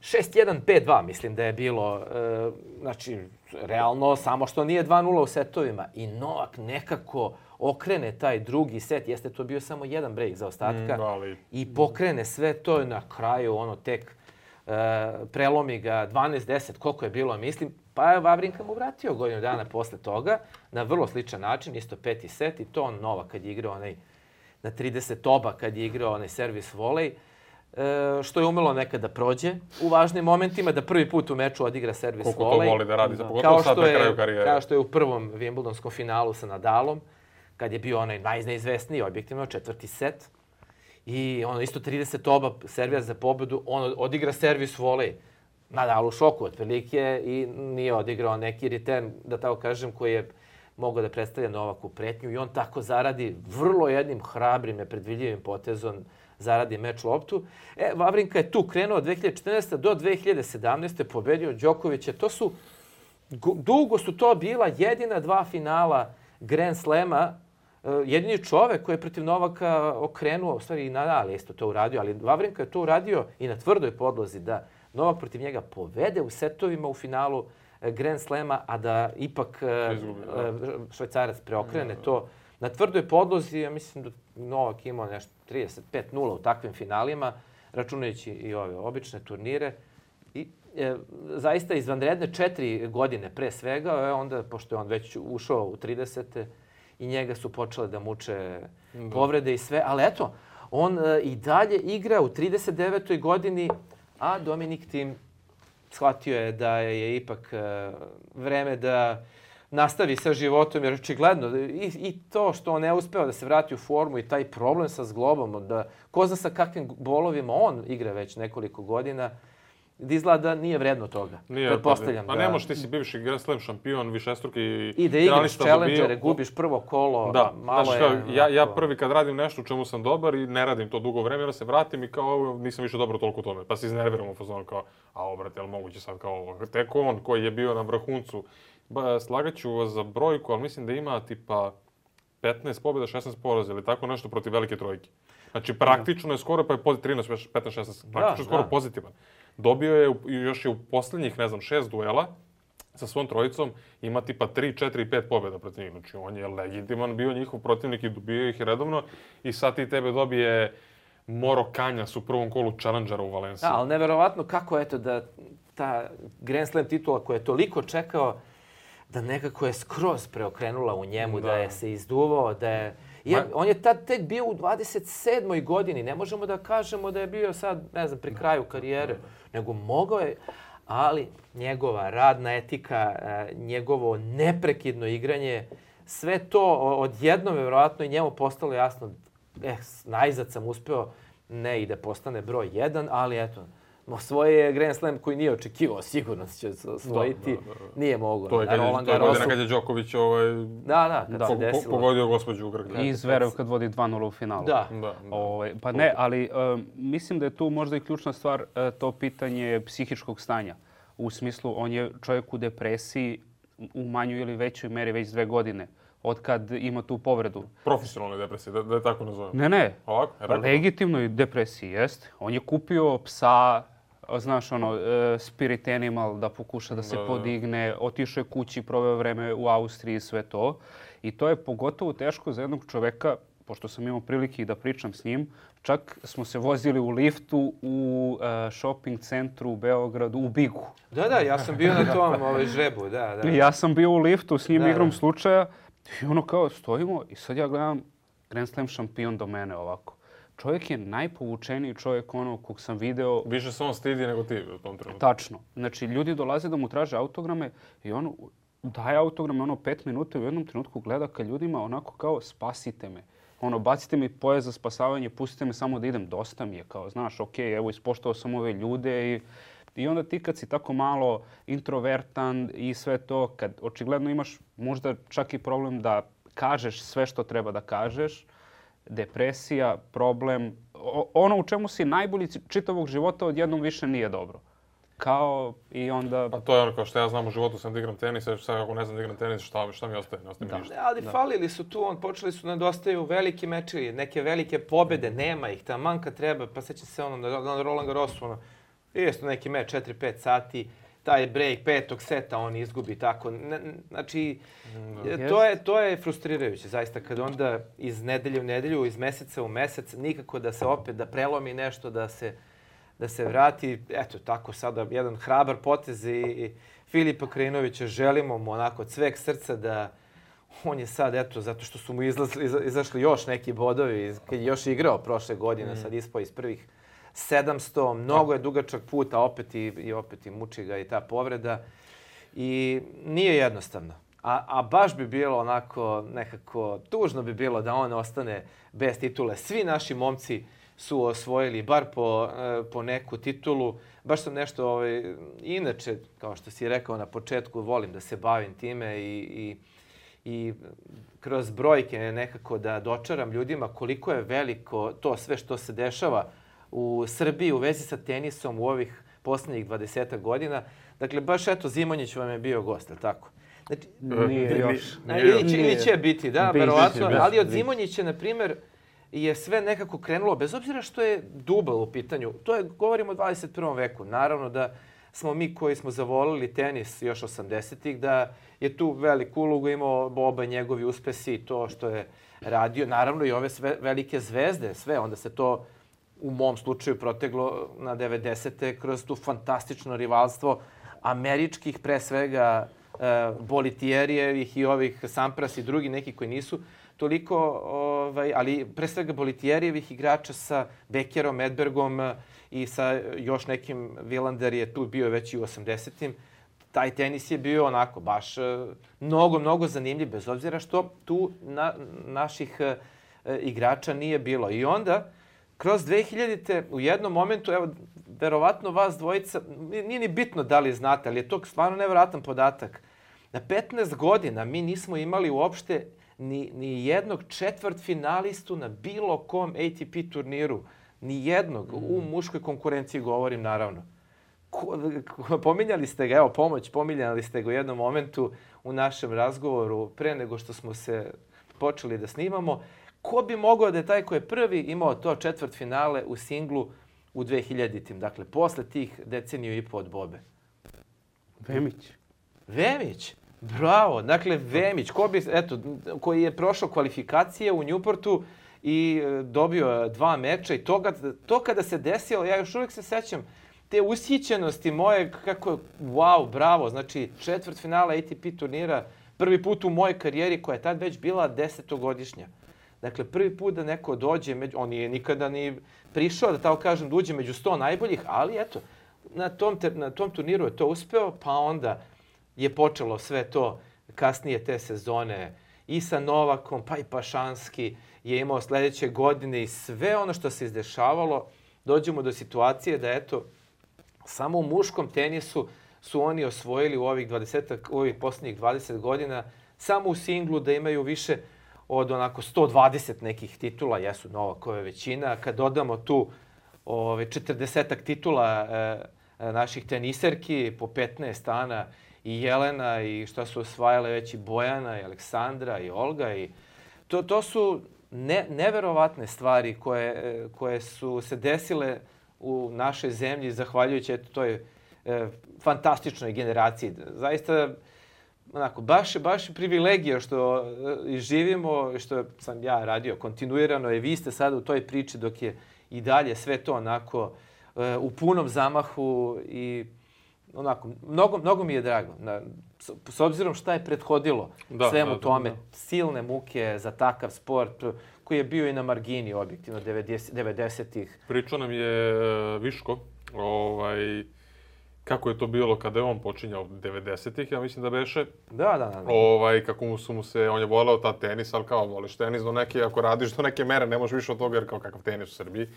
šest jedan pet dva, mislim da je bilo. E, znači, realno, samo što nije dva nula u setovima. I Novak nekako okrene taj drugi set. Jeste to bio samo jedan break za ostatka. Mm, ali... I pokrene sve to na kraju, ono, tek e, prelomi ga dvanaest deset, koliko je bilo, mislim. Pa je Vavrinka mu vratio godinu dana posle toga na vrlo sličan način, isto peti set i to on Novak kad je igrao onaj na trideset oba kad je igrao onaj servis volej, e, što je umelo nekad da prođe u važnim momentima, da prvi put u meču odigra servis Koliko volej. Koliko to voli da radi, za pogotovo sad na kraju karijere. Kao što je u prvom Wimbledonskom finalu sa Nadalom, kad je bio onaj najneizvesniji, objektivno, četvrti set. I ono isto trideset oba servija za pobedu, on odigra servis volej. Nadal u šoku otprilike i nije odigrao neki return, da tako kažem, koji je mogao da predstavlja Novaku pretnju. I on tako zaradi vrlo jednim hrabrim, nepredvidljivim potezom, zaradi meč loptu. E, Vavrinka je tu krenuo od dve hiljade četrnaeste. do dve hiljade sedamnaeste. pobedio Đokovića. To su, dugo su to bila jedina dva finala Grand Slema. Jedini čovek koji je protiv Novaka okrenuo, u stvari i Nadal je isto to uradio, ali Vavrinka je to uradio i na tvrdoj podlozi da Novak protiv njega povede u setovima u finalu Grand Slema, a da ipak Švajcarac preokrene to na tvrdoj podlozi. Ja mislim da Novak imao nešto trideset pet nula u takvim finalima, računajući i ove obične turnire. I e, zaista izvanredne četiri godine pre svega, e, onda, pošto je on već ušao u tridesete i njega su počele da muče da. povrede i sve. Ali eto, on e, i dalje igra u trideset devetoj godini, a Dominik Thiem shvatio je da je ipak vreme da nastavi sa životom, jer očigledno i, i to što on ne uspeo da se vrati u formu i taj problem sa zglobom, da ko zna sa kakvim bolovima on igra već nekoliko godina, da izgleda da nije vredno toga. Nije, pretpostavljam. Pa da... ne možeš, ti si bivši Grand Slam šampion, višestruki i da igraš challengere, gubiš prvo kolo, da, malo znači, je... Kao, ja, ja prvi kad radim nešto u čemu sam dobar i ne radim to dugo vremena, se vratim i kao nisam više dobro toliko u tome. Pa se iznerviram u fazonu kao, a obrate, jel moguće sad kao ovo? Tek on koji je bio na vrhuncu. Ba, slagaću vas za brojku, ali mislim da ima tipa petnaest pobjeda, šesnaest poraza ili tako nešto protiv velike trojke. Znači praktično je skoro, pa je trinaest, petnaest, šesnaest, praktično da, skoro da. pozitivan. Dobio je još je u posljednjih, ne znam, šest duela sa svom trojicom, ima tipa tri, četiri, pet pobjeda protiv njih. Znači on je legitiman bio njihov protivnik i dobio ih redovno i sad ti tebe dobije Moro Kanjas u prvom kolu Challengera u Valenciji. Da, ali neverovatno kako eto da ta Grand Slam titula koja je toliko čekao, da nekako je skroz preokrenula u njemu, da, da je se izduvao, da je... Je, on je tad tek bio u dvadeset sedmoj godini. Ne možemo da kažemo da je bio sad, ne znam, pri kraju karijere, nego mogao je, ali njegova radna etika, njegovo neprekidno igranje, sve to odjednom je vjerojatno i njemu postalo jasno, eh, najzad sam uspeo, ne i da postane broj jedan, ali eto, osvoje je Grand Slam koji nije očekivao, sigurno će osvojiti, da, da, da. nije mogao. To je, kad je, to je godina kad je Đoković ovaj, da, da, kad da. se desilo. Pogodio gospođu Grgljak. I Zverev kad vodi dva nula u finalu. Da. da, da. Ove, pa ne, ali um, mislim da je tu možda i ključna stvar uh, to pitanje psihičkog stanja. U smislu, on je čovjek u depresiji u manjoj ili većoj meri već dve godine. Od kad ima tu povredu. Profesionalne depresije, da, da je tako nazovem. Ne, ne. Ovako? Legitimnoj depresiji, jest. On je kupio psa, znaš, ono, uh, Spirit Animal, da pokuša da se da, podigne. Otišao je kući, proveo vreme u Austriji i sve to. I to je pogotovo teško za jednog čoveka, pošto sam imao prilike i da pričam s njim. Čak smo se vozili u liftu u uh, shopping centru u Beogradu, u Bigu. Da, da, ja sam bio na tom ovaj, žrebu, da, da. Ja sam bio u liftu s njim da, igrom da. slučaja i ono kao stojimo i sad ja gledam Grand Slam šampion do mene ovako. Čovjek je najpovučeniji čovjek ono kog sam video. Više se on stidi nego ti u tom trenutku. Tačno. Znači, ljudi dolaze da mu traže autograme i ono daje autograme ono pet minuta i u jednom trenutku gleda ka ljudima onako kao spasite me. Ono, bacite mi pojas za spasavanje, pustite me samo da idem, dosta mi je. Kao, znaš, okej, okay, evo, ispoštovao sam ove ljude i, i onda ti kad si tako malo introvertan i sve to, kad očigledno imaš možda čak i problem da kažeš sve što treba da kažeš, depresija, problem, ono u čemu si najbolji čitavog života odjednom više nije dobro. Kao i onda... Pa to je ono kao što ja znam u životu sam da igram tenis, a sad ako ne znam da igram tenis, šta, šta mi ostaje? Ne ostaje mi ništa. Ali da. falili su tu, on počeli su nedostaju veliki mečevi, neke velike pobjede, nema ih, taman kad treba, pa sećam se ono na, na Roland Garrosu, ono, isto neki meč, četiri pet sati, taj break petog seta on izgubi tako. Ne, znači, da. to, je, to je frustrirajuće, zaista, kad onda iz nedelje u nedelju, iz meseca u mesec, nikako da se opet, da prelomi nešto, da se... da se vrati, eto tako sada jedan hrabar potez i Filipa Krajinovića želimo mu onako od sveg srca da on je sad, eto, zato što su mu izlazli, izašli još neki bodovi, kad je još igrao prošle godine, mm. sad ispao iz prvih sedamsto, mnogo je dugačak put, a opet i, i opet i muči ga i ta povreda. I nije jednostavno. A, a baš bi bilo onako nekako, tužno bi bilo da on ostane bez titule. Svi naši momci su osvojili bar po, po neku titulu. Baš sam nešto, ovaj, inače, kao što si rekao na početku, volim da se bavim time i, i, i kroz brojke nekako da dočaram ljudima koliko je veliko to sve što se dešava u Srbiji u vezi sa tenisom u ovih posljednjih dvadesetak godina. Dakle, baš eto, Zimonjić vam je bio gost, ali tako? Znači, nije još. Ili će, ili će biti, da, verovatno. Ali od Zimonjića, na primjer, je sve nekako krenulo, bez obzira što je dubl u pitanju. To je, govorimo o dvadeset prvom veku. Naravno da smo mi koji smo zavolili tenis još osamdesetih, da je tu veliku ulogu imao oba njegovi uspesi i to što je radio. Naravno i ove sve velike zvezde, sve. Onda se to u mom slučaju proteglo na devedesete kroz tu fantastično rivalstvo američkih, pre svega, Bolitijerijevih i ovih Sampras i drugi neki koji nisu toliko, ovaj, ali pre svega Bolitijerijevih igrača sa Bekerom, Edbergom i sa još nekim, Vilander je tu bio već i u osamdesetim. Taj tenis je bio onako baš mnogo, mnogo zanimljiv, bez obzira što tu na, naših e, igrača nije bilo. I onda, kroz dve hiljadite u jednom momentu, evo, verovatno vas dvojica, nije ni bitno da li znate, ali je to stvarno nevjerojatan podatak. Na petnaest godina mi nismo imali uopšte ni, ni jednog četvrtfinalistu na bilo kom A T P turniru. Ni jednog. Mm. U muškoj konkurenciji govorim, naravno. Ko, pominjali ste ga, evo pomoć, pominjali ste ga u jednom momentu u našem razgovoru pre nego što smo se počeli da snimamo. Ko bi mogao da je taj ko je prvi imao to četvrtfinale u singlu u dve hiljaditim? Dakle, posle tih deceniju i po od Bobe. Vemić. Vemić? Bravo. Dakle, Vemić, ko bi, eto, koji je prošao kvalifikacije u Newportu i dobio dva meča i to, to kada se desilo, ja još uvijek se sećam te ushićenosti moje, kako, wow, bravo, znači četvrtfinala A T P turnira, prvi put u mojoj karijeri koja je tad već bila desetogodišnja. Dakle, prvi put da neko dođe, među, on nije nikada ni prišao, da tako kažem, da uđe među sto najboljih, ali eto, na tom, na tom turniru je to uspeo, pa onda je počelo sve to kasnije te sezone i sa Novakom, pa i Pašanski je imao sledeće godine i sve ono što se izdešavalo, dođemo do situacije da eto, samo u muškom tenisu su oni osvojili u ovih dvadeset, u ovih posljednjih dvadeset godina, samo u singlu da imaju više od onako sto dvadeset nekih titula, jesu Novakove većina. Kad dodamo tu ove, četrdesetak titula e, naših teniserki, po petnaest Ana i Jelena i šta su osvajale već i Bojana i Aleksandra i Olga. I to, to su ne, neverovatne stvari koje, koje su se desile u našoj zemlji zahvaljujući eto, toj e, fantastičnoj generaciji. Zaista, onako, baš, baš privilegija što e, živimo, što sam ja radio kontinuirano i vi ste sada u toj priči dok je i dalje sve to onako e, u punom zamahu i onako, mnogo, mnogo mi je drago. Na, s, s obzirom šta je prethodilo da, svemu da, tome, da, da. Silne muke za takav sport koji je bio i na margini objektivno devedesetih. Pričao nam je Viško, ovaj, kako je to bilo kada je on počinjao devedesetih, ja mislim da beše. Da, da, da. Ovaj, kako mu su mu se, on je voleo ta tenis, ali kao voliš tenis do neke, ako radiš do neke mere, ne možeš više od toga jer kao kakav tenis u Srbiji.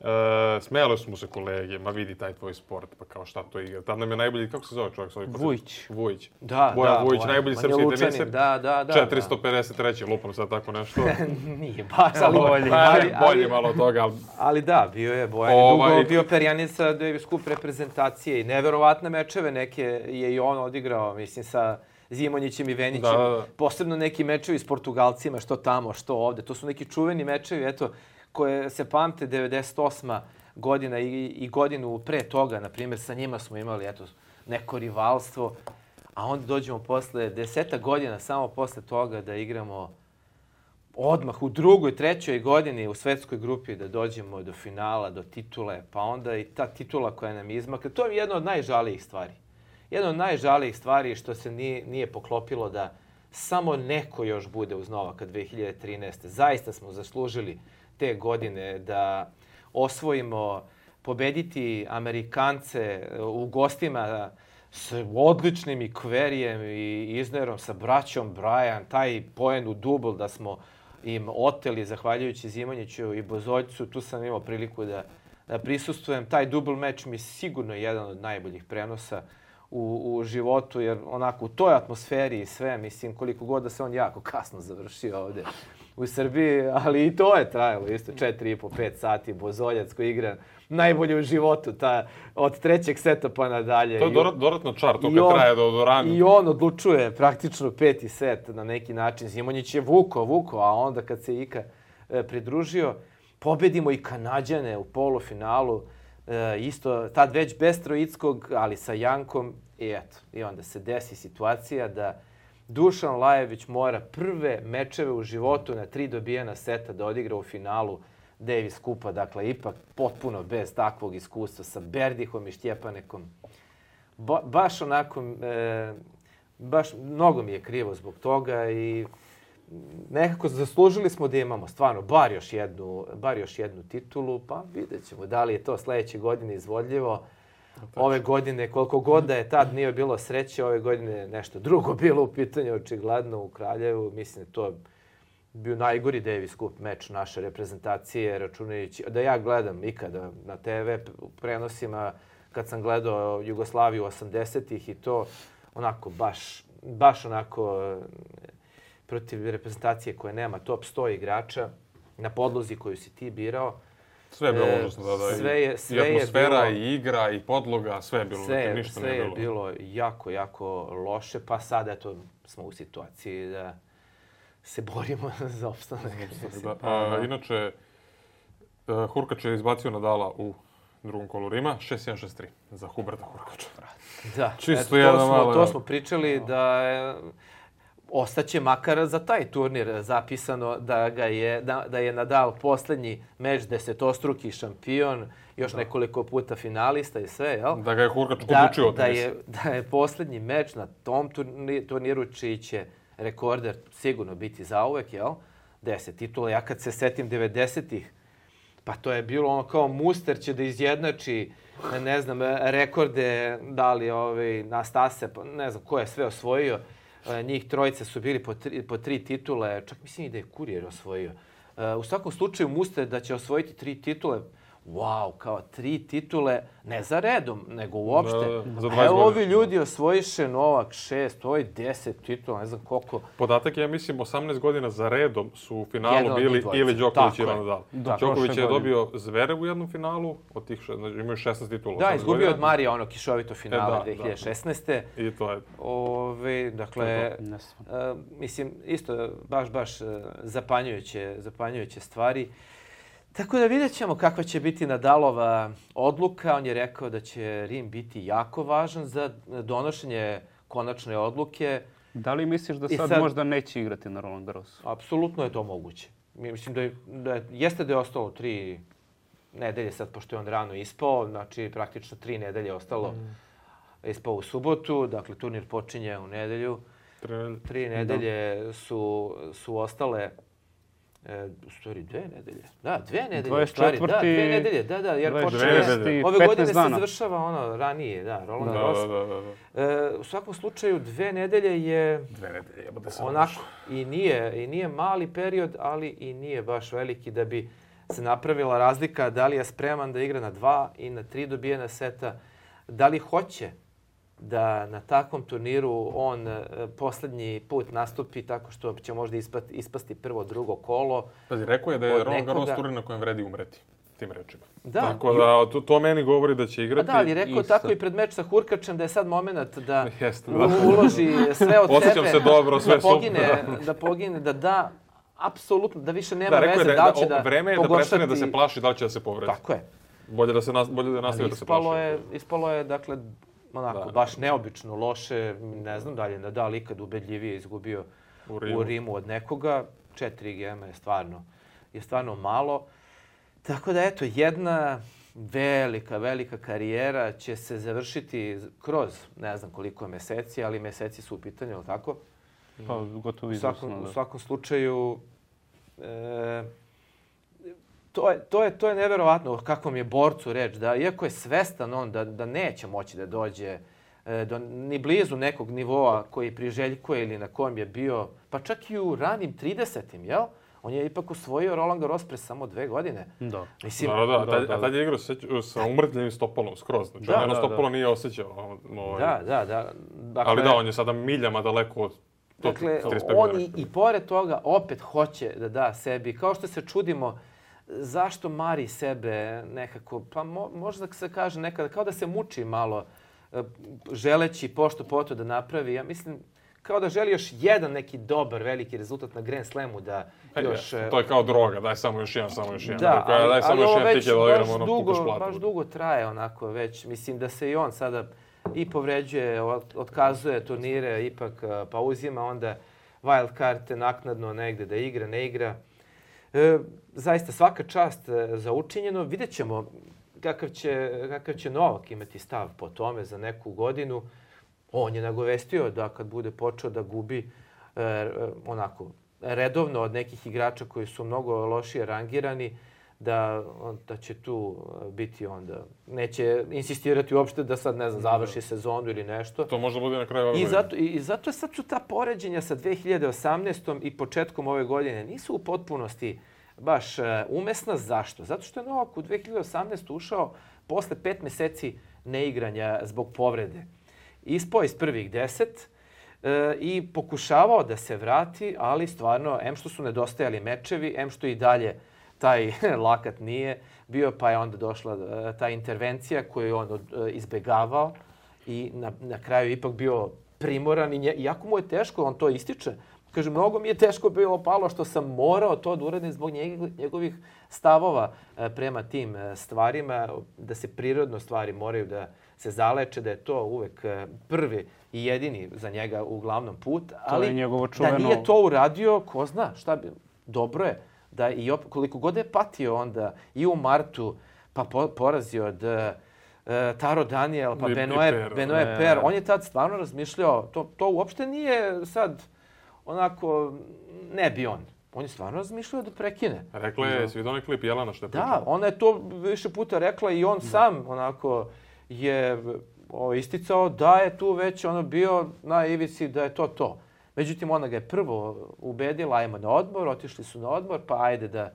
E, smijale su mu se kolege, ma vidi taj tvoj sport, pa kao šta to igra. Tad nam je najbolji, kako se zove čovjek? Svoj Vujić. Vujić. Da, Bojan da. Vujić, najbolji srpski teniser. Da, da, da. četiristo pedeset treći lupam sad tako nešto. Nije baš, ali bolje. Ali, bolje malo toga. Ali, ali da, bio je Bojan. Ovaj, dugo bio perjanica Davis Cup reprezentacije i neverovatne mečeve neke je i on odigrao, mislim, sa Zimonjićem i Venićem. Da, da, da. Posebno neki mečevi s Portugalcima, što tamo, što ovde. To su neki čuveni mečevi, eto, koje se pamte devedeset osma godina i, i godinu pre toga, na primjer, sa njima smo imali eto, neko rivalstvo, a onda dođemo posle deseta godina, samo posle toga da igramo odmah u drugoj, trećoj godini u svetskoj grupi da dođemo do finala, do titule, pa onda i ta titula koja nam izmakla. To je jedna od najžalijih stvari. Jedna od najžalijih stvari što se nije, nije poklopilo da samo neko još bude uz Novaka dve hiljade trinaeste. Zaista smo zaslužili te godine da osvojimo, pobediti Amerikance u gostima s odličnim i Kverijem i Iznerom, sa braćom Bryan, taj poen u dubl da smo im oteli zahvaljujući Zimonjiću i Bozoljcu. Tu sam imao priliku da, da prisustvujem. Taj dubl meč mi je sigurno jedan od najboljih prenosa u, u životu, jer onako u toj atmosferi i sve, mislim, koliko god da se on jako kasno završio ovde u Srbiji, ali i to je trajalo isto četiri i po pet sati. Bozoljac koji igra najbolje u životu, ta, od trećeg seta pa nadalje. To je dodat, dodatno čar, to kad on, traje do, do rana. I on odlučuje praktično peti set na neki način. Zimonjić je vuko, vuko, a onda kad se Ika e, pridružio, pobedimo i Kanađane u polufinalu. E, isto, tad već bez Troickog, ali sa Jankom. I eto, i onda se desi situacija da Dušan Lajović mora prve mečeve u životu na tri dobijena seta da odigra u finalu Davis Cupa. Dakle, ipak potpuno bez takvog iskustva sa Berdihom i Štjepanekom. Ba, baš onako, e, baš mnogo mi je krivo zbog toga i nekako zaslužili smo da imamo stvarno bar još jednu, bar još jednu titulu, pa vidjet ćemo da li je to sljedeće godine izvodljivo. Ove godine, koliko god da je tad nije bilo sreće, ove godine nešto drugo bilo u pitanju, očigledno u Kraljevu. Mislim da to bio najgori Davis Cup meč naše reprezentacije, računajući da ja gledam ikada na te ve prenosima, kad sam gledao Jugoslaviju osamdesetih i to onako baš, baš onako protiv reprezentacije koje nema top sto igrača na podlozi koju si ti birao. Sve je bilo užasno, da, da. Sve je, sve I atmosfera, je bilo, i igra, i podloga, sve je bilo. Sve, dakle, ništa sve nije je bilo jako, jako loše, pa sad eto smo u situaciji da se borimo za opstanak. Da. A, inače, uh, Hurkač je izbacio Nadala u drugom kolu Rima, šest jedan šest tri za Huberta Hurkača. Da, Čisto eto, to, jedna smo, mala- to smo pričali da je, ostaće makar za taj turnir zapisano da, ga je, da, da je Nadal posljednji meč desetostruki šampion, još nekoliko puta finalista i sve, jel? Da ga je Hurkač Da, odlučio o da, tenisu. je, da je posljednji meč na tom turni- turniru čiji će rekorder sigurno biti zauvek, jel? Deset titula. Ja kad se setim devedesetih, pa to je bilo ono kao Muster će da izjednači, ne znam, rekorde, da li ovaj, Nastase, pa ne znam ko je sve osvojio. E, Njih trojice su bili po tri, po tri titule, čak mislim i da je Kurijer osvojio. E, U svakom slučaju Muster da će osvojiti tri titule, wow, kao tri titule, ne za redom, nego uopšte. Da, da, za A dvadeset evo ovi godina. ljudi osvojiše Novak šest, ovo je deset titula, ne znam koliko. Podatak je, ja mislim, osamnaest godina za redom su u finalu Jedan od bili njih dvojice. ili Đoković Tako ili je. Nadal. Da, Đoković prošle je godine. dobio Zverev u jednom finalu, od tih šest, znači imaju šesnaest titula. Da, osamnaest izgubio godina. od Marija ono kišovito finale E, da, dve hiljade šesnaeste. I to je. Ove, dakle, Nesvano. uh, mislim, isto baš, baš uh, zapanjujuće, zapanjujuće stvari. Tako da vidjet ćemo kakva će biti Nadalova odluka. On je rekao da će Rim biti jako važan za donošenje konačne odluke. Da li misliš da I sad, sad- možda neće igrati na Roland Garrosu? Apsolutno je to moguće. Mislim da, je, da je, jeste da je ostalo tri nedelje sad, pošto je on rano ispao, znači praktično tri nedelje je ostalo. Mm. Ispao u subotu, dakle turnir počinje u nedelju. Tre- Tri nedelje su, su ostale, e, u stvari dve nedelje. Da, dve nedelje u stvari. Da, dvadeset četvrti dve nedelje, da, da, jer dvadeset počinje, nedelje. ove godine petnaest se dana. završava ono ranije, da, Roland Da, Garros. da, da, da, da. E, u svakom slučaju dve nedelje je Dve nedelje, jebote se onako i nije, i nije mali period, ali i nije baš veliki da bi se napravila razlika da li je spreman da igra na dva i na tri dobijena seta, da li hoće da na takvom turniru on e, posljednji put nastupi tako što će možda ispati, ispasti prvo, drugo kolo. Pazi, rekao je da je Od Roland Garros nekoga- turnir na kojem vredi umreti. Tim rečima. Da, Tako da, to, to meni govori da će A igrati. da, ali rekao isto. tako i pred meč sa Hurkačem da je sad moment da Jeste, u- da. uloži sve od Osjećam sebe, se dobro, sve da pogine, da pogine, da da apsolutno, da više nema Da, rekao je veze da, da li će da, da vreme je da pogoršati- prestane da se plaši da li će da se povredi. Tako je. Bolje da se nas, bolje da nastavi da se plaši. Ispalo je, ispalo je, dakle, onako, Da. baš neobično loše. Ne znam da li je Nadal ikad ubedljivije izgubio U u Rimu. Rimu, od nekoga. Četiri gema je stvarno, je stvarno malo. Tako da, eto, jedna velika, velika karijera će se završiti kroz ne znam koliko meseci, ali meseci su u pitanju, ali tako? Pa gotovo U svakom, izvrsno, u da. svakom slučaju, e, to, je, to, je, to je neverovatno kakvom je borcu reč, da iako je svestan on da, da neće moći da dođe e, do, ni blizu nekog nivoa koji priželjkuje ili na kojem je bio, pa čak i u ranim tridesetim, jel? On je ipak usvojio Roland Garros pre samo dve godine. Da. Mislim, Da, da, da, Da, tad, da, a tad je igrao seć- sa umrtljivim stopalom skroz. Znači, Da, on jedno da, stopalo da. nije osjećao. Ovaj. da, da, da. Dakle, Ali da, on je sada miljama daleko od top Dakle, trideset pet on godina. i, i pored toga opet hoće da da sebi, kao što se čudimo zašto mari sebe nekako, pa mo, možda se kaže nekada, kao da se muči malo, e, želeći pošto poto da napravi. Ja mislim, kao da želi još jedan neki dobar, veliki rezultat na Grand Slamu da E, još... je, to je kao droga, daj samo još jedan, samo još jedan. Da, Dakle, ali, daj samo ali još ovo jedan već tiket da baš igramo ono dugo, kukaš platu. baš dugo traje onako već. Mislim da se i on sada i povređuje, od- otkazuje turnire, ipak a, pa uzima onda wild karte naknadno negde da igra, ne igra. E, zaista svaka čast e, za učinjeno. Vidjet ćemo kakav će, kakav će Novak imati stav po tome za neku godinu. On je nagovestio da kad bude počeo da gubi, e, e, onako, redovno od nekih igrača koji su mnogo lošije rangirani, da, da će tu biti onda. Neće insistirati uopšte da sad, ne znam, završi sezonu ili nešto. To može bude na kraju ove I godine. zato, I zato sad su ta poređenja sa dve hiljade osamnaestom i početkom ove godine nisu u potpunosti baš umesna. Zašto? Zato što je Novak u dve hiljade osamnaestoj ušao posle pet meseci neigranja zbog povrede. Ispao iz prvih deset e, i pokušavao da se vrati, ali stvarno, em što su nedostajali mečevi, em što i dalje taj lakat nije bio, pa je onda došla e, ta intervencija koju je on e, izbegavao i na, na kraju ipak bio primoran. I nje, iako mu je teško, on to ističe. Kaže, mnogo mi je teško bilo palo što sam morao to da uradim zbog njegovih stavova prema tim stvarima, da se prirodno stvari moraju da se zaleče, da je to uvek prvi i jedini za njega uglavnom put. Ali to je njegovo čuveno... da nije to uradio, ko zna šta bi... Dobro je da i op... koliko god je patio onda i u martu, pa po, porazio od uh, Taro Daniel, pa Benoit Per, Per. On je tad stvarno razmišljao, to, to uopšte nije sad... onako, ne bi on. On je stvarno razmišljao da prekine. Rekla je, svi onaj klip Jelena što je pričala. Da, ona je to više puta rekla i on da. sam onako je o, isticao da je tu već ono bio na ivici da je to to. Međutim, ona ga je prvo ubedila, ajmo na odmor, otišli su na odmor, pa ajde da,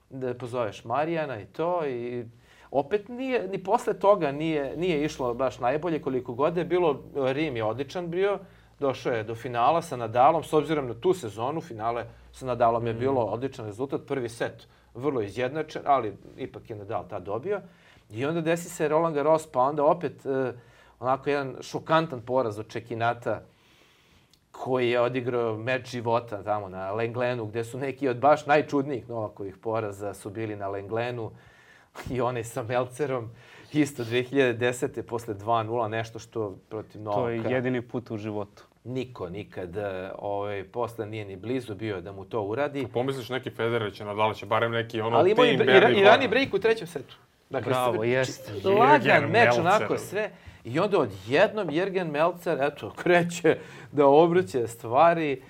da pozoveš Marijana i to. I opet nije, ni posle toga nije, nije išlo baš najbolje koliko god je bilo. Rim je odličan bio. Došao je do finala sa Nadalom, s obzirom na tu sezonu, finale sa Nadalom je bilo odličan rezultat. Prvi set vrlo izjednačen, ali ipak je Nadal tad dobio. I onda desi se Roland Garros, pa onda opet eh, onako jedan šokantan poraz od Čekinata koji je odigrao meč života tamo na Lenglenu, gde su neki od baš najčudnijih Novakovih poraza su bili na Lenglenu. I onaj sa Melcerom, isto dve hiljade desete posle dva nula, nešto što protiv Novaka. To je jedini put u životu. Niko nikad ovaj, posle nije ni blizu bio da mu to uradi. Pomisliš neki Federer će, Nadal će barem neki ono ali tim Bernie Horn. Ali i rani break u trećem setu. Dakle, bravo, jest. Lagan meč, onako sve. I onda odjednom Jürgen Melzer, eto, kreće da obrće stvari.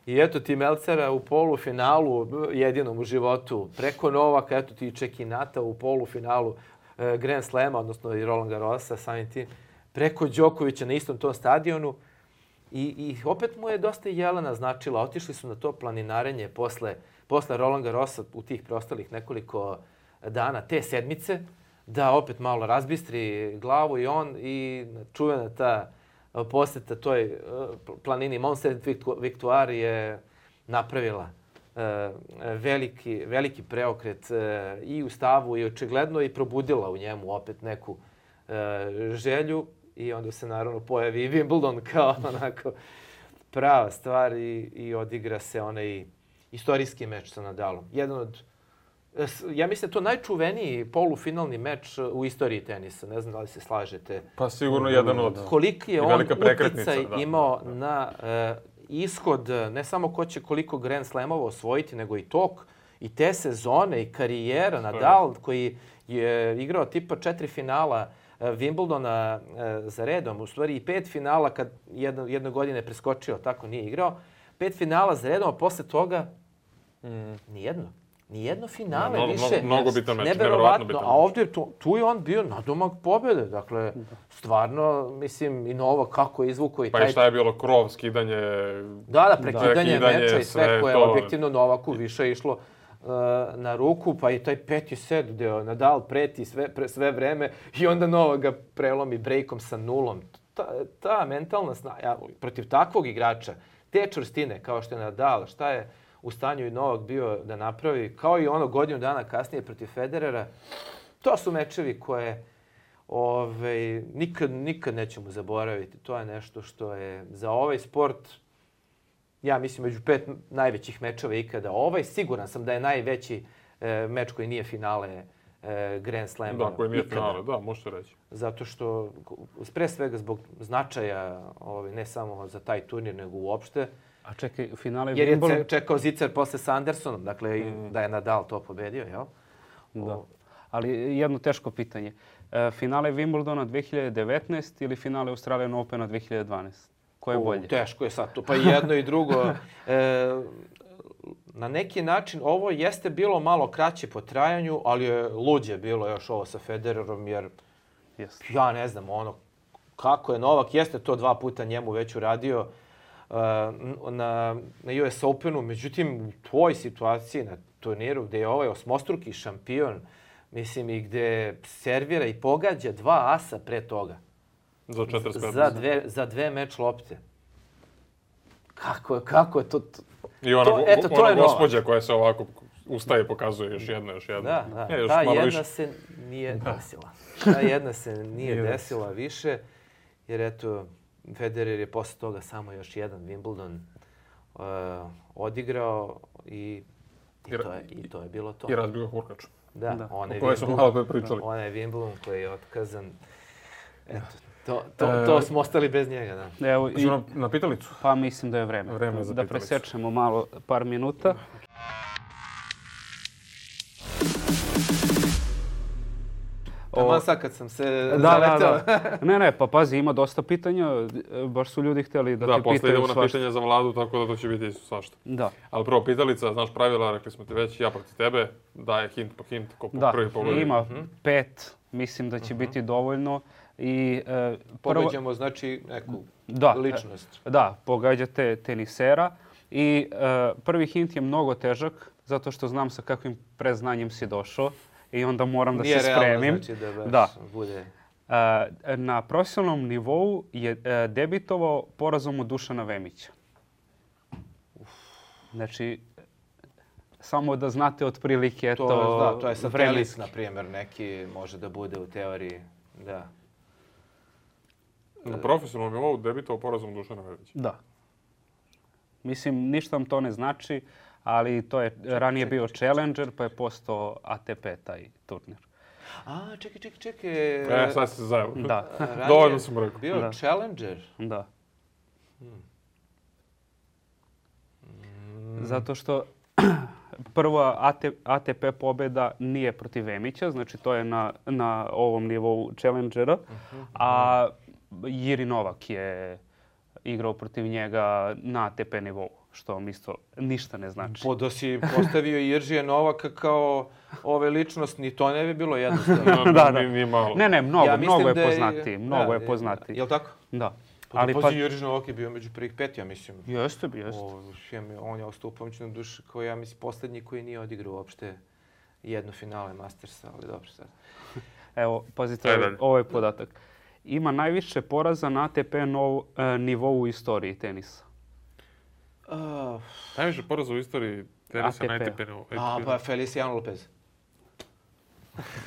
I eto ti Melcera u polufinalu, jedinom u životu, preko Novaka, eto ti Čekinata u polufinalu e, Grand Slema, odnosno i Roland Garrosa, samim tim, preko Đokovića na istom tom stadionu. I, I opet mu je dosta Jelena značila. Otišli su na to planinarenje posle, posle Roland Garrosa u tih preostalih nekoliko dana te sedmice, da opet malo razbistri glavu i on i čuvena ta posjeta toj planini Mont Victoire je napravila veliki, veliki preokret i u stavu i očigledno i probudila u njemu opet neku želju i onda se naravno pojavi i Wimbledon kao onako prava stvar i, i odigra se onaj istorijski meč sa Nadalom. Jedan od, ja mislim da je to najčuveniji polufinalni meč u istoriji tenisa. Ne znam da li se slažete. Pa sigurno jedan od... Koliki je on uticaj imao da. na uh, ishod, ne samo ko će koliko Grand Slamova osvojiti, nego i tok, i te sezone, i karijera. Nadal, koji je igrao tipa četiri finala uh, Wimbledona uh, za redom, u stvari i pet finala kad jedno, jedno godine preskočio, tako nije igrao. Pet finala za redom, a posle toga mm. nijedno. Nijedno finale no, više. Mnogo, mnogo bitan meč, neverovatno bitan. A ovdje tu, tu je on bio nadomak pobjede. Dakle, stvarno, mislim, i Novak kako je izvukao i pa taj... Pa i šta je bilo, krov, skidanje... Da, da, prekidanje da. meča i sve, sve koje je to... objektivno Novaku više išlo uh, na ruku. Pa i taj peti set gdje Nadal preti sve, pre, sve vreme i onda Novak ga prelomi brejkom sa nulom. Ta, ta mentalna snaga, protiv takvog igrača, te čvrstine kao što je Nadal, šta je u stanju i Novak bio da napravi, kao i ono godinu dana kasnije protiv Federera. To su mečevi koje ove, nikad, nikad nećemo zaboraviti. To je nešto što je za ovaj sport, ja mislim, među pet najvećih mečeva ikada. Ovaj siguran sam da je najveći e, meč koji nije finale e, Grand Slama. Da, koji nije ikada. Finale, da, možete reći. Zato što, pre svega zbog značaja, ove, ne samo za taj turnir, nego uopšte, a čekaj, finale jer Wimbledon... je čekao Zicer posle sa Andersonom, dakle mm. da je Nadal to pobedio, jel? Da. O... Ali jedno teško pitanje. E, finale Wimbledona dve hiljade devetnaeste ili finale Australian Opena dve hiljade dvanaeste? Ko je o, bolje? Teško je sad to, pa i jedno i drugo. E, na neki način ovo jeste bilo malo kraće po trajanju, ali je luđe bilo još ovo sa Federerom, jer Yes. ja ne znam ono kako je Novak, jeste to dva puta njemu već uradio uh, na, na U S Openu, međutim u tvojoj situaciji na turniru gdje je ovaj osmostruki šampion, mislim i gdje servira i pogađa dva asa pre toga. Za četrdeset pet. Za dve, za dve meč lopte. Kako je, kako je to? to I ona, to, eto, to ona je Novak. gospođa koja se ovako ustaje i pokazuje još jedna, još jedna. Da, da. E, još Ta malo jedna više. se nije desila. Ta jedna se nije Nije desila više, jer eto, Federer je posle toga samo još jedan Wimbledon uh, odigrao i, i, to je, i to je bilo to. I razbio hurkač. Da, Da. onaj O kojoj smo Wimbledon- malo pre pričali. onaj Wimbledon koji je otkazan. Eto, to, to, to smo ostali bez njega, da. Evo, i, Hoćemo na, na pitalicu? pa mislim da je vreme. Vreme je za da pitalicu. presečemo malo par minuta. Taman sad kad sam se Da, da, zaletao. da. Ne, ne, pa pazi, ima dosta pitanja. Baš su ljudi htjeli da, Da, te posle pitaju idemo na svašta. pitanje za Vladu, tako da to će biti svašta. Da. Ali prvo, pitalica, znaš pravila, rekli smo ti već, ja protiv tebe, daje hint po hint, ko po Da, prvi pogled. ima pet, mislim da će biti dovoljno. I, e, prvo- Pogađamo znači neku Da, ličnost. Da, pogađate tenisera i e, prvi hint je mnogo težak zato što znam sa kakvim preznanjem si došao i onda moram da Nije se realno, spremim. znači da baš Da. bude... E, na profesionalnom nivou je e, debitovao porazom od Dušana Vemića. Znači, samo da znate otprilike To, to, da, to je satelit, vremenski. na primjer, neki može da bude u teoriji, da. Na profesionalnom nivou debitao porazom Dušana Velića. Da. Mislim, ništa vam to ne znači, ali to je ranije bio Challenger, pa je postao A T P taj turnir. A, čekaj, čekaj, čekaj. E, sad se zajelo. Da, ranije Dovoljno sam rekao. Bio Da. Challenger. da. Zato što prva A T P pobjeda nije protiv Vemića, znači to je na, na ovom nivou Challengera, a Jiri Novak je igrao protiv njega na A T P nivou, što vam isto ništa ne znači. Po da si postavio Iržija Novaka kao ove ličnost, ni to ne bi bilo jednostavno. No, Da, da. Ni, ni malo. Ne, ne, mnogo, Ja mislim mnogo je da poznatiji, mnogo da, je poznatiji. Jel tako? Da. Pa Ali da pa, pazi, Irž Novak je bio među prvih pet, ja mislim. jeste, jeste. O, šem, on je ostao u pomoćnom dušu kao ja mislim posljednji koji nije odigrao uopšte jedno finale Mastersa, ali dobro sad. Evo, pazite, Ajde. ovaj, ovaj podatak. Ima najviše poraza na A T P nov, e, nivou u istoriji tenisa. Uh, Najviše poraza u istoriji tenisa A T P. na A T P nivou. a, pa Feliciano Lopez.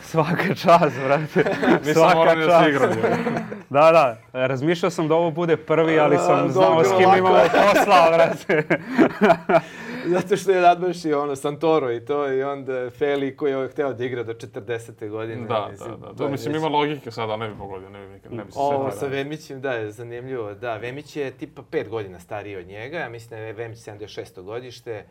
Svaka čast, brate. Nisam morao ni da se igram. je. Da, da. Razmišljao sam da ovo bude prvi, ali A, sam znao dobro, s kim lako. imamo posla, brate. Zato što je nadmašio ono Santoro i to i onda Feli koji je hteo da igra do četrdesete godine. Da, mislim, da, da. to To je mislim već- ima logike sada, ne bi pogodio, ne bi nikad, ne bi se Ovo setio. sa Vemićem, da, je zanimljivo. Da, Vemić je tipa pet godina stariji od njega. Ja mislim da je Vemić sedamdeset šesto godište,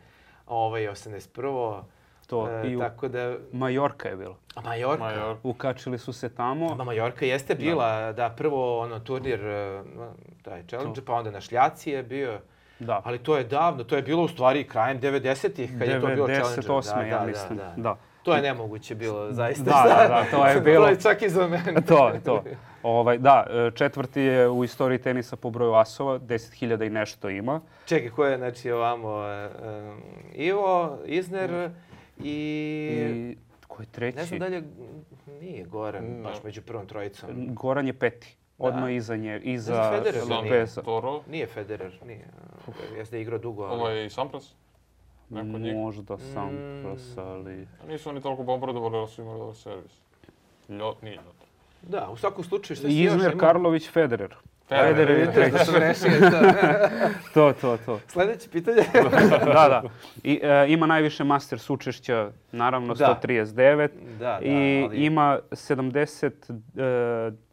a ovaj je osamdeset prvo. To, E, i u tako da... Majorka je bilo. A Majorka. Major. Ukačili su se tamo. Ma Majorka jeste bila, da, prvo ono turnir, e, taj Challenger, pa onda na Šljaci je bio. Da. Ali to je davno, to je bilo u stvari krajem devedesetih kad je to bilo Challenger. devedeset osme, ja da, mislim. Da, da. Da. To je nemoguće bilo, zaista. Da, da, da, to je bilo- to je čak i za mene. To, to. Ovaj, da, e, četvrti je u istoriji tenisa po broju asova, deset hiljada i nešto ima. Čekaj, ko je, znači, ovamo, e, e, Ivo, Isner i... I ko je treći? Ne znam da li je, nije Goran, No. baš među prvom trojicom. Goran je peti. Da. Odmah iza nje, iza znam, Federer da nije. Lopeza. Toro. Nije Federer, nije. Jeste da je igrao dugo, ali... Ovo je i Sampras. Neko od njih. Možda Sampras, ali... Nisu oni toliko bombardovali, ali su imali dobar servis. Ljot, nije ljot. Da, u svakom slučaju, što si još Izmir imao? Karlović, Federer. Federer, Federer je Vidite da treći. sam rešio to. To, to, to. Sljedeće pitanje. Da, da. I, e, ima najviše Masters učešća, naravno Da. sto trideset devet. Da, da, I ali- ima sedamdeset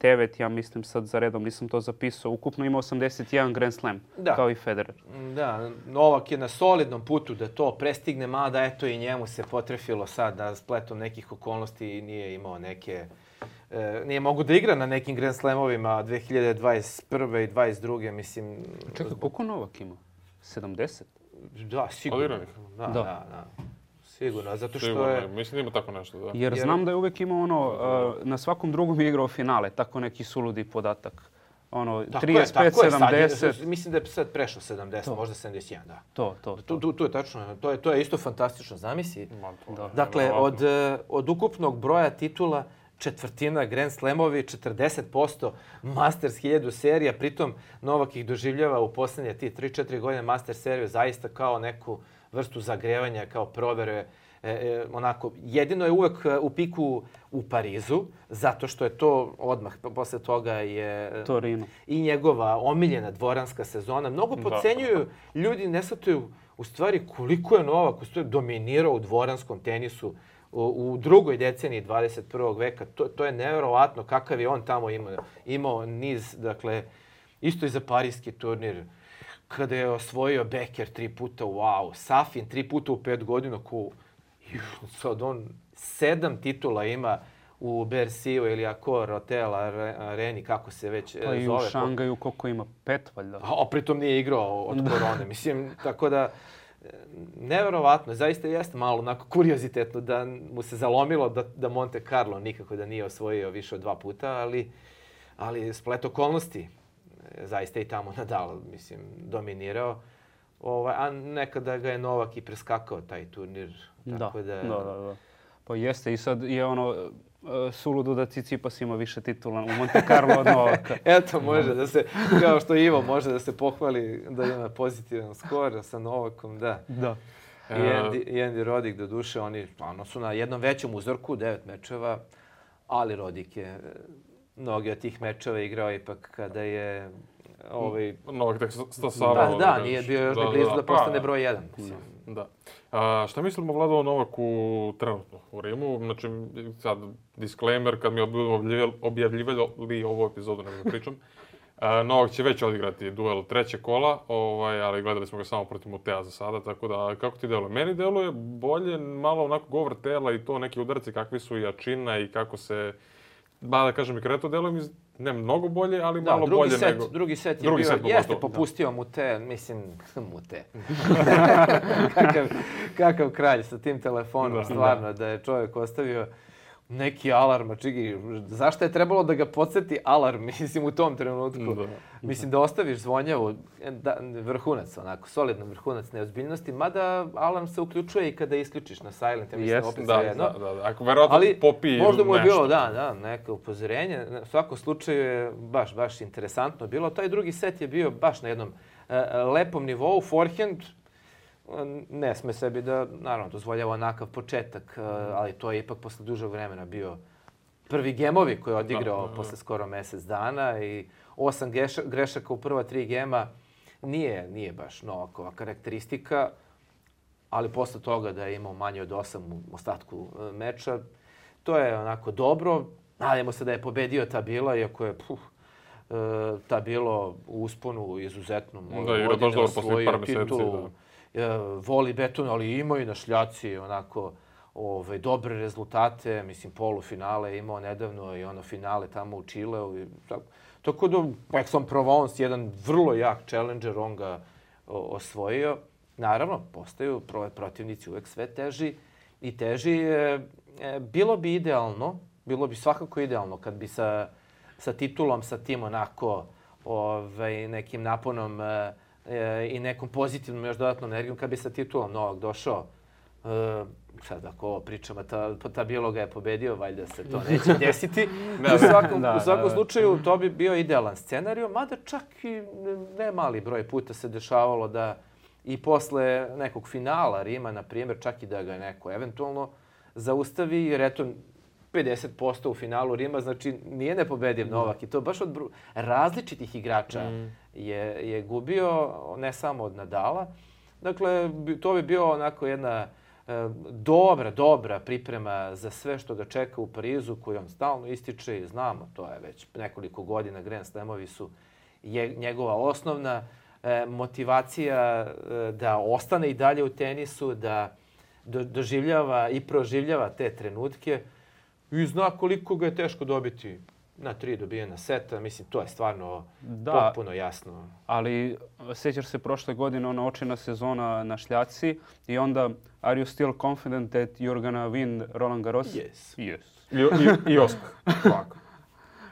devet, ja mislim sad za redom, nisam to zapisao. Ukupno ima osamdeset jedan Grand Slam, Da. kao i Federer. Da, Novak je na solidnom putu da to prestigne, mada eto i njemu se potrefilo sad da spletom nekih okolnosti i nije imao neke... E, nije mogu da igra na nekim Grand Slamovima dve hiljade dvadeset prve i dvadeset druge, mislim... Čekaj, koliko Novak ima? sedamdeset? Da, sigurno. Odiranih. Da, da, Da. da. Sigurno, zato što Sigurno, je... mislim da ima tako nešto, da. Jer Jer- znam da je uvijek imao ono, uh, na svakom drugom je igrao finale, tako neki suludi podatak. Ono, Tako je, trideset pet, tako je, sad je- sedamdeset, mislim da je sad prešao sedamdeset, To. možda sedamdeset jedan, da. to, to, Tu, to. tu, tu je tačno, to je, to je isto fantastično, zamisli. Ma, to Da. je Dakle, nevjerovatno. od, eh, od ukupnog broja titula, četvrtina Grand Slamovi, četrdeset posto Masters hiljadu serija, pritom Novak ih doživljava u posljednje ti tri četiri godine Master seriju zaista kao neku vrstu zagrevanja, kao provere. E, e, onako, jedino je uvek e, u piku u Parizu, zato što je to odmah, p- posle toga je Torino. i njegova omiljena dvoranska sezona. Mnogo Da. podcenjuju, ljudi ne shvataju u stvari koliko je Novak u stvari dominirao u dvoranskom tenisu u, u drugoj deceniji dvadeset prvog veka. To, to je nevjerovatno kakav je on tamo imao, imao niz, dakle, isto i za parijski turnir, kada je osvojio Becker tri puta, wow, Safin tri puta u pet godina, ko, juh, sad on sedam titula ima u Berciju ili Accor Hotel Are- Areni, kako se već e, Pa i u zove. Šangaju koliko ima, pet valjda. A pritom nije igrao od korone. Mislim, tako da, e, neverovatno, zaista jeste malo onako kuriozitetno da mu se zalomilo da, da Monte Carlo nikako da nije osvojio više od dva puta, ali, ali splet okolnosti, e, zaista i tamo Nadal, mislim, dominirao. Ovaj, a nekada ga je Novak i preskakao taj turnir. Tako da, da, da, da. Pa jeste i sad je ono uh, suludo da Tsitsipas ima više titula u Monte Carlo od Novaka. Eto, može da se, kao što Ivo može da se pohvali da ima pozitivan skor sa Novakom, da. Da. I Andy, i Andy Roddick, do duše, oni stvarno su na jednom većem uzorku, devet mečeva, ali Roddick je e, mnogi od tih mečeva igrao ipak kada je ovaj... Novak tek Da, stasavao. da, nije bio još ni blizu da postane pa, broj jedan. Mislim. Da. A, šta mislimo Vlado o Novaku trenutno u Rimu? Znači, sad, disclaimer, kad mi budemo objavljivali, objavljivali ovu epizodu, nego da pričam, a, Novak će već odigrati duel treće kola, ovaj, ali gledali smo ga samo protiv Mutea za sada, tako da, kako ti deluje? Meni deluje bolje, malo onako govor tela i to neki udarci kakvi su i jačina i kako se, ba da kažem i kreto, deluje mi ne mnogo bolje, ali Da, malo drugi bolje set, nego... drugi set je Drugi bio, set jeste pogotovo, popustio mu te, mislim, mu te. kakav, kakav kralj sa tim telefonom, Da. stvarno, da je čovjek ostavio neki alarm, a čigi, zašto je trebalo da ga podsjeti alarm, mislim, u tom trenutku? Da. Mislim, da ostaviš zvonjavu, da, vrhunac, onako, solidan vrhunac neozbiljnosti, mada alarm se uključuje i kada isključiš na silent, ja mislim, Jeste, opet Da, svejedno. da, da, da. Ako verovatno Ali popije možda mu je nešto. bilo, da, da, neko upozorenje. U svakom slučaju je baš, baš interesantno bilo. Taj drugi set je bio baš na jednom e, lepom nivou. Forehand e, ne sme sebi da, naravno, dozvoljava onakav početak, e, ali to je ipak posle dužeg vremena bio prvi gemovi koje je odigrao Da, da, da. posle skoro mjesec dana i osam geša, grešaka u prva tri gema nije, nije baš Novakova karakteristika, ali posle toga da je imao manje od osam u ostatku e, meča, to je onako dobro. Nadajmo se da je pobedio Tabila, iako je puh, e, Tabilo u usponu izuzetnom. Da, igra baš dobro posljednjih par mjeseci, titulu, e, voli beton, ali imaju na šljaci onako ovaj, dobre rezultate. Mislim, polufinale je imao nedavno i ono finale tamo u Čileu. I tako. Tako da, Aix-en-Provence, jedan vrlo jak challenger, on ga o, osvojio. Naravno, postaju pro- protivnici uvek sve teži i teži. E, e, bilo bi idealno, bilo bi svakako idealno kad bi sa, sa titulom, sa tim onako ovaj, nekim naponom e, e, i nekom pozitivnom još dodatnom energijom, kad bi sa titulom Novak došao. E, sad ako ovo pričamo, ta, ta biologa je pobedio, valjda se to neće desiti. U svakom, Da, u svakom da, da. slučaju to bi bio idealan scenarij, mada čak i ne mali broj puta se dešavalo da i posle nekog finala Rima, na primjer, čak i da ga neko eventualno zaustavi, jer eto, pedeset posto u finalu Rima, znači nije nepobediv Novak i to baš od bru- različitih igrača Mm. je, je gubio, ne samo od Nadala. Dakle, bi- to bi bio onako jedna e, dobra, dobra priprema za sve što ga čeka u Parizu, koju on stalno ističe i znamo, to je već nekoliko godina, Grand Slamovi su je, njegova osnovna e, motivacija e, da ostane i dalje u tenisu, da do, doživljava i proživljava te trenutke i zna koliko ga je teško dobiti na tri dobijena seta, mislim, to je stvarno Da. potpuno jasno. Ali sjećaš se prošle godine ona očina sezona na šljaci i onda are you still confident that you're gonna win Roland Garros? Yes. Yes. I, i, i osmeh. Ovako.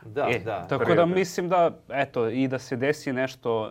Da, E, da. Tako da mislim da, eto, i da se desi nešto e,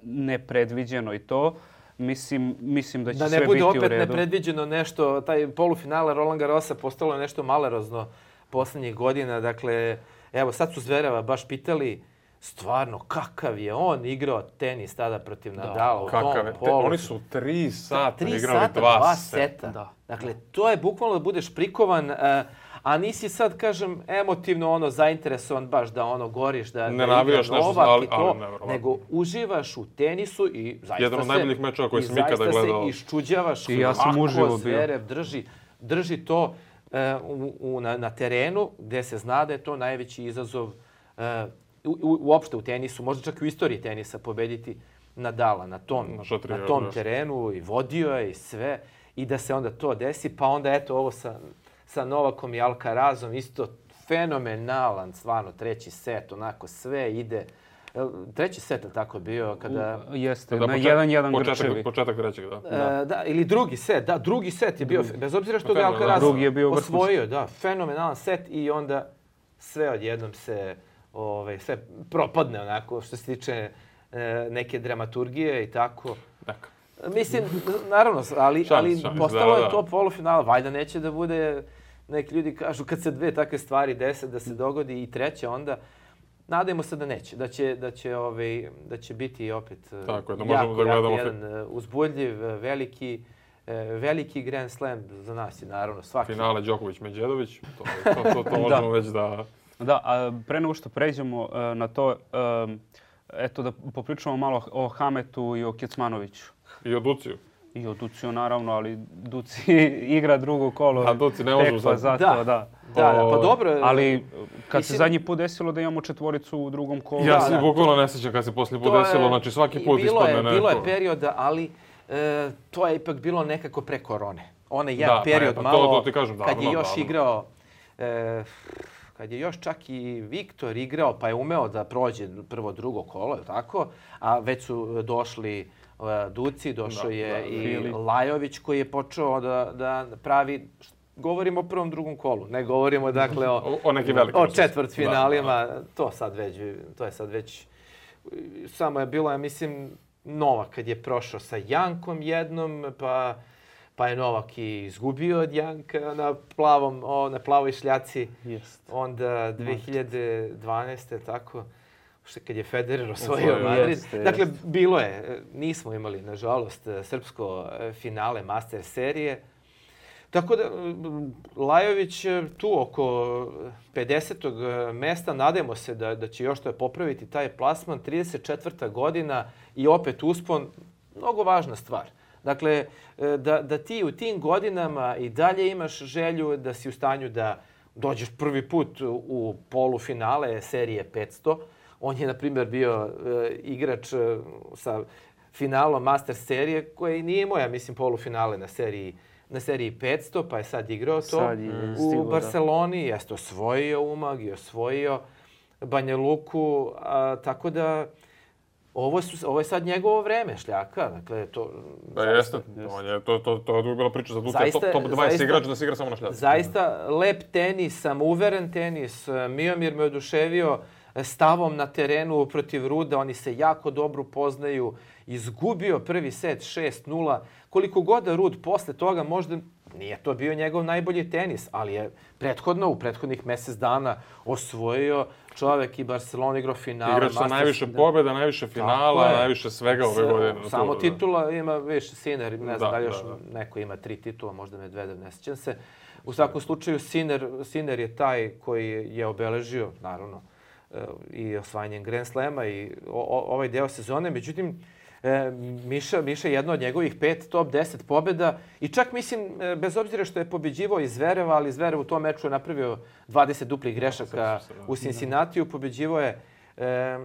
nepredviđeno i to, mislim, mislim da će Da sve ne biti bude u opet redu. nepredviđeno nešto, taj polufinale Roland Garrosa postalo je nešto malerozno posljednjih godina. Dakle, evo sad su Zvereva baš pitali stvarno kakav je on igrao tenis tada protiv Nadala u tom Kakav je? Te, polu. oni su tri sata Tri igrali sata, dva, dva seta. seta. Da. Dakle, to je bukvalno da budeš prikovan, a, a nisi sad, kažem, emotivno ono zainteresovan baš da ono goriš, da, Ne da igra navijaš nešto, Novak ali- i to, ali nevjerovatno. nego uživaš u tenisu i zaista Jedan od se, najboljih mečeva koje i sam ikada zaista gledao. se iščuđavaš I ja sam kako uživo bio. Zverev drži, drži to e, u, u, na, na terenu gdje se zna da je to najveći izazov e, u, u, uopšte u tenisu, možda čak i u istoriji tenisa pobediti Nadala na tom, Na šatriju, na tom još. terenu i vodio je i sve i da se onda to desi, pa onda eto ovo sa, sa Novakom i Alcarazom isto fenomenalan, stvarno treći set, onako sve ide. Jel, treći set je tako bio kada... Jeste, Da, na počet- jedan jedan početak, Grčevi. Početak trećeg, da. Da. da, ili drugi set, da, drugi set je bio, bez obzira što ga je Fenomenalan. Alcaraz Drugi je bio vrhunski. osvojio, da, fenomenalan set i onda sve odjednom se, ovaj, sve propadne onako što se tiče e, neke dramaturgije i tako. Dakle. Mislim, naravno, ali, Šans, ali šans, postalo da, je da. to polufinala, valjda neće da bude, neki ljudi kažu kad se dve takve stvari dese, da se dogodi i treća onda. Nadajmo se da neće, da će, da će, ovaj, da će biti opet e, Tako je, da jako, možemo da jako gledamo jedan e, uzbudljiv, e, veliki, e, veliki Grand Slam za nas je naravno svaki. Finale Đoković-Medjedović, to, to, to, to možemo već da... Da, a pre nego što pređemo e, na to, e, eto da popričamo malo o Hametu i o Kecmanoviću. I o Duciju. I o Duciju naravno, ali Duci igra drugo kolo. A Duci ne može tekla sad. zato, Da. da. Da, da, pa O, dobro. Ali kad se Mislim- zadnji put desilo da imamo četvoricu u drugom kolu. Ja Da, se da. bukvalno ne sjećam kad se poslije put To je- desilo, znači svaki put i bilo ispadne je, neko. Bilo je perioda, ali e, to je ipak bilo nekako pre korone. Onaj jedan Da, pa period eto, to- malo, to ti kažem, kad je davno, još davno. igrao, e, kad je još čak i Viktor igrao, pa je umeo da prođe prvo drugo kolo, je li tako? A već su došli e, Duci, došao Da, je da, i Fili. Lajović koji je počeo da, da pravi, govorimo o prvom, drugom kolu, ne govorimo dakle o, O, o nekim velikim. o četvrtfinalima, Da, da. to sad već, to je sad već, samo je bilo, ja mislim, Novak kad je prošao sa Jankom jednom, pa, pa je Novak i izgubio od Janka na plavom, o, na plavoj šljaci, Jest. onda dve hiljade dvanaeste, tako, što kad je Federer osvojio Osvojio, Madrid. jeste, Dakle, jeste. bilo je, nismo imali, nažalost, srpsko finale Master serije. Tako da, Lajović tu oko pedesetog mesta, nadajmo se da, da će još to popraviti taj plasman, trideset četvrta godina i opet uspon, mnogo važna stvar. Dakle, da, da ti u tim godinama i dalje imaš želju da si u stanju da dođeš prvi put u polufinale serije petsto. On je, na primjer, bio e, igrač e, sa finalom Master serije koji nije imao, ja mislim, polufinale na seriji na seriji petsto, pa je sad igrao to Sad je u stigao, da. Barceloni, jeste osvojio Umag i osvojio Banja Luku, a, tako da ovo, su, ovo je sad njegovo vreme, Šljaka. Dakle, to, Da, jeste. On je, to, to, to je bila priča za Ducija, Zaista- top, top dvadeset zaista- igrač da se igra samo na šljaci. Zaista lep tenis, samouveren tenis. Miomir me oduševio stavom na terenu protiv Ruda. Oni se jako dobro poznaju. Izgubio prvi set šest nula. Koliko god da Rud posle toga možda nije to bio njegov najbolji tenis, ali je prethodno, u prethodnih mjesec dana osvojio čovjek i Barcelona igrao finale. Igrač sa Masters- najviše pobjeda, najviše finala, Tako je. najviše svega ove godine. Samo To, da. titula ima više, Sinner, ne znam Da, da li još da, da. neko ima tri titula, možda Medvedev, ne sjećam se. U svakom slučaju, Sinner, Sinner je taj koji je obeležio, naravno, e, i osvajanjem Grand Slema i o, o, ovaj deo sezone. Međutim, e, Miša, Miša je jedno od njegovih pet top deset pobjeda i čak mislim, e, bez obzira što je pobjeđivao iz Zvereva, ali Zverev u tom meču je napravio dvadeset duplih grešaka se, da. u Cincinnatiju, pobjeđivao je e,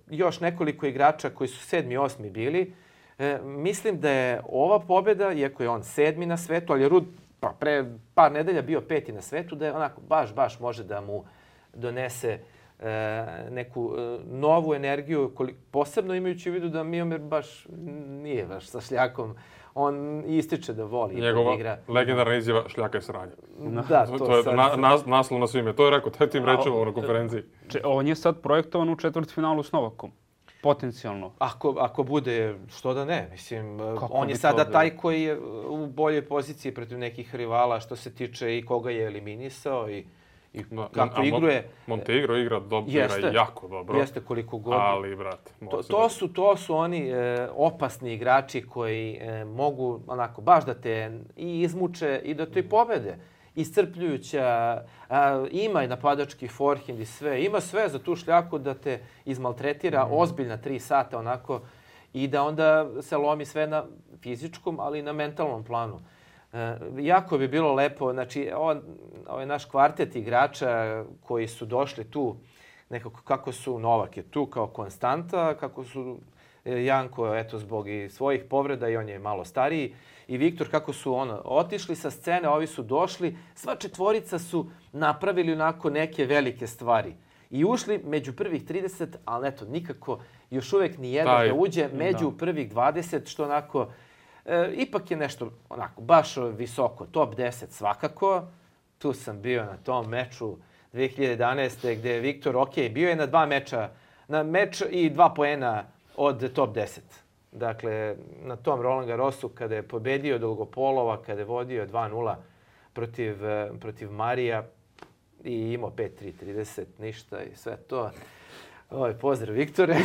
još nekoliko igrača koji su sedmi, osmi bili. E, mislim da je ova pobjeda, iako je on sedmi na svetu, ali je Rud pa, pre par nedelja bio peti na svetu, da je onako baš, baš može da mu donese neku novu energiju, posebno imajući u vidu da Miomir baš nije baš sa šljakom. On ističe da voli njegova da igra. legendarna izjava šljaka je sranje. Da, to, to je sad... na, na, naslov na svime. To je rekao, taj tim rečeva na konferenciji. Če, on je sad projektovan u četvrtfinalu s Novakom. Potencijalno. Ako, ako bude, što da ne. Mislim, Kako on je sada taj koji je u boljoj poziciji protiv nekih rivala što se tiče i koga je eliminisao i, i da, kako a igruje. Montenegro igra, dobro, jeste, igra jako dobro. Jeste koliko god. Ali, brate, to, to, su, to su oni e, opasni igrači koji e, mogu onako baš da te i izmuče i da te i pobede. Iscrpljujuća, a, ima i napadački forehand i sve. Ima sve za tu šljaku da te izmaltretira mm. ozbiljna tri sata onako i da onda se lomi sve na fizičkom, ali i na mentalnom planu. E, jako bi bilo lepo, znači on, ovaj naš kvartet igrača koji su došli tu, nekako kako su, Novak je tu kao konstanta, kako su Janko, eto, zbog i svojih povreda i on je malo stariji, i Viktor, kako su ono, otišli sa scene, ovi su došli, sva četvorica su napravili onako neke velike stvari. I ušli među prvih trideset, ali eto, nikako još uvek ni jedan Taj, da uđe među da. prvih dvadeset, što onako, e, ipak je nešto onako baš visoko, top deset svakako. Tu sam bio na tom meču dve hiljade jedanaeste gde je Viktor, ok, bio je na dva meča, na meč i dva poena od top deset. Dakle, na tom Roland Garrosu kada je pobedio Dolgopolova, kada je vodio dva nula protiv, protiv Marija i imao pet tri trideset, ništa i sve to. Oj, pozdrav Viktore.